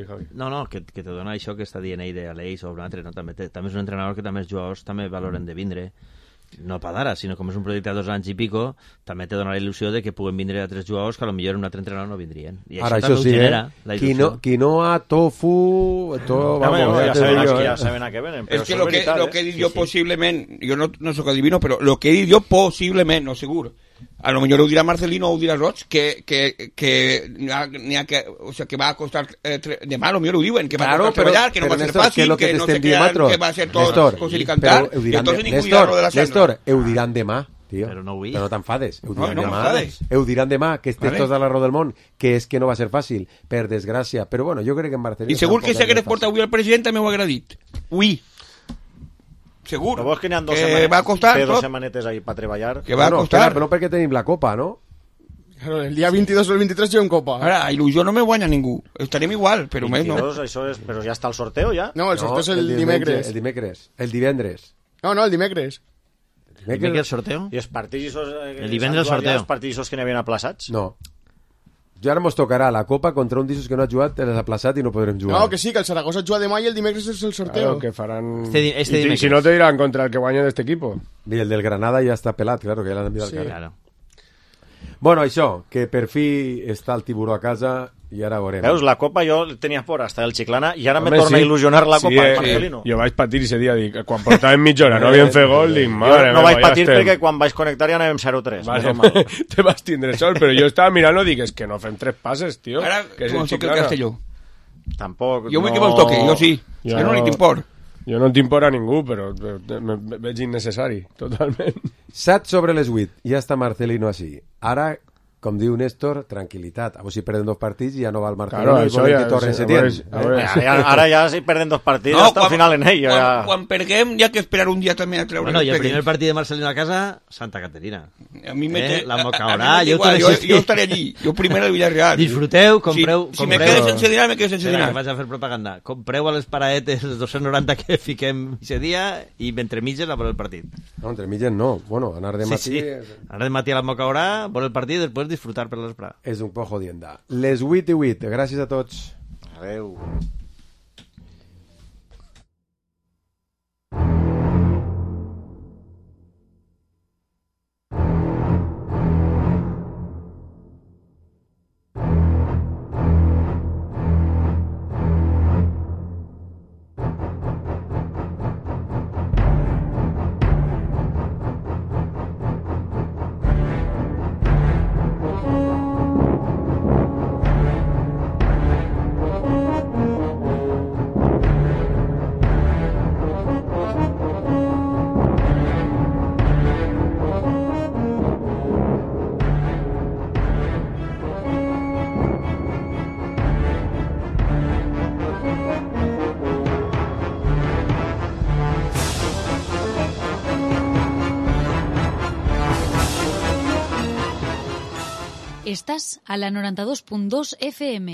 Javi. No, que te dona això que està dient ell d'Aleix o un altre, no? També és un entrenador que també els jugadors també valoren de vindre, no per d'ara, sinó com és un projecte de 2 anys i pico, també te dona la il·lusió de que puguen vindre altres jugadors que potser un altre entrenador no vindrien. I ara, això sí, quinoa, tofu... Ja saben a què venen. És que lo que he dit jo possiblement, jo no soc adivino, però lo que he dit jo possiblement, no segur, a lo millor ho dirà Marcelino o ho dirà Roig, o sea, que va a costar demà, a lo millor ho diuen, que va a costar treballar, que no va a ser fàcil, que no sé què va a ser tot coser i cantar, i entonces ningú dirà lo de la cena. Néstor, ho diran demà, tio. Però no no t'enfades. Ho diran demà, que estés tots a l'arreu del món, que és que no va ser fàcil, per desgràcia. Però bueno, jo crec que en Marcelino... I segur que si hagués portat avui el president també ho haguera dit. Ui. Segur. Però vos que n'hi ha va a costar dos setmanetes ahí per treballar. Que va a costar. Però no perquè tenim la Copa, no? Claro, el dia 22 o el 23 juguem Copa. Ara, il·lusió no me guanya ningú. Estarem igual, però més no. Això és, però ja està el sorteo, ja? No, el sorteo és el dimecres. El divendres. No, el dimecres. El dimecres sorteo? I els partits... El divendres sorteo. Els partits que n'havien aplaçats? No. I ara ens tocarà la Copa contra un d'issos que no ha jugat, l'has aplaçat i no podrem jugar. No, que sí, que el Zaragoza juga demà i el dimecres és el sorteo. Claro, que faran... Y si no te dirán contra el que guanya d'este equipo. I el del Granada ja està pelat, claro, que ja l'han enviat al carrer. Claro. Bueno, això, que per fi està el tiburó a casa i ara veurem. Veus, la Copa jo tenia por hasta el Chiclana i ara me torna a il·lusionar la Copa, Marcelino. Jo vaig patir ese dia, dic, quan portàvem mitja hora no havien fet gol, dic, mare no vaig patir perquè quan vaig connectar ja anàvem 0-3. Vale, te vas tindre sol, però jo estava mirant i dic, és que no fem 3 passes, tio. Ara, com toque el Castelló. Tampoc, jo vull que me'ls toque, jo sí. És que no li t'import. Jo no t'import a ningú, però me veig innecessari, totalment. 7 sobre les 8, ja està Marcelino així. Ara... com diu Néstor, tranquil·litat. A veure si perden 2 partits i ja no va el Marcelino i volem que torni Setién. Ara ja si perden 2 partits hasta el final en ell. Quan perguem hi ha que esperar un dia també a treure... Bueno, i el primer partit de Marcelino a casa, Santa Caterina. A mi la Mocaorà, jo estaré allí. Jo primer al Villarreal. Disfruteu, compreu... Si me quedes sense dinar, me quedes sense dinar. Vaig a fer propaganda. Compreu a les paraetes els 290 que fiquem aquest dia i entre mitges a veure el partit. No, entre mitges no. Bueno, anar de matí... Anar de matí a la Mocaorà, veure el partit, després disfrutar per l'esprà. És un poc jodienda. Les 8:08. Gràcies a tots. Adeu. Estás a la 92.2 FM.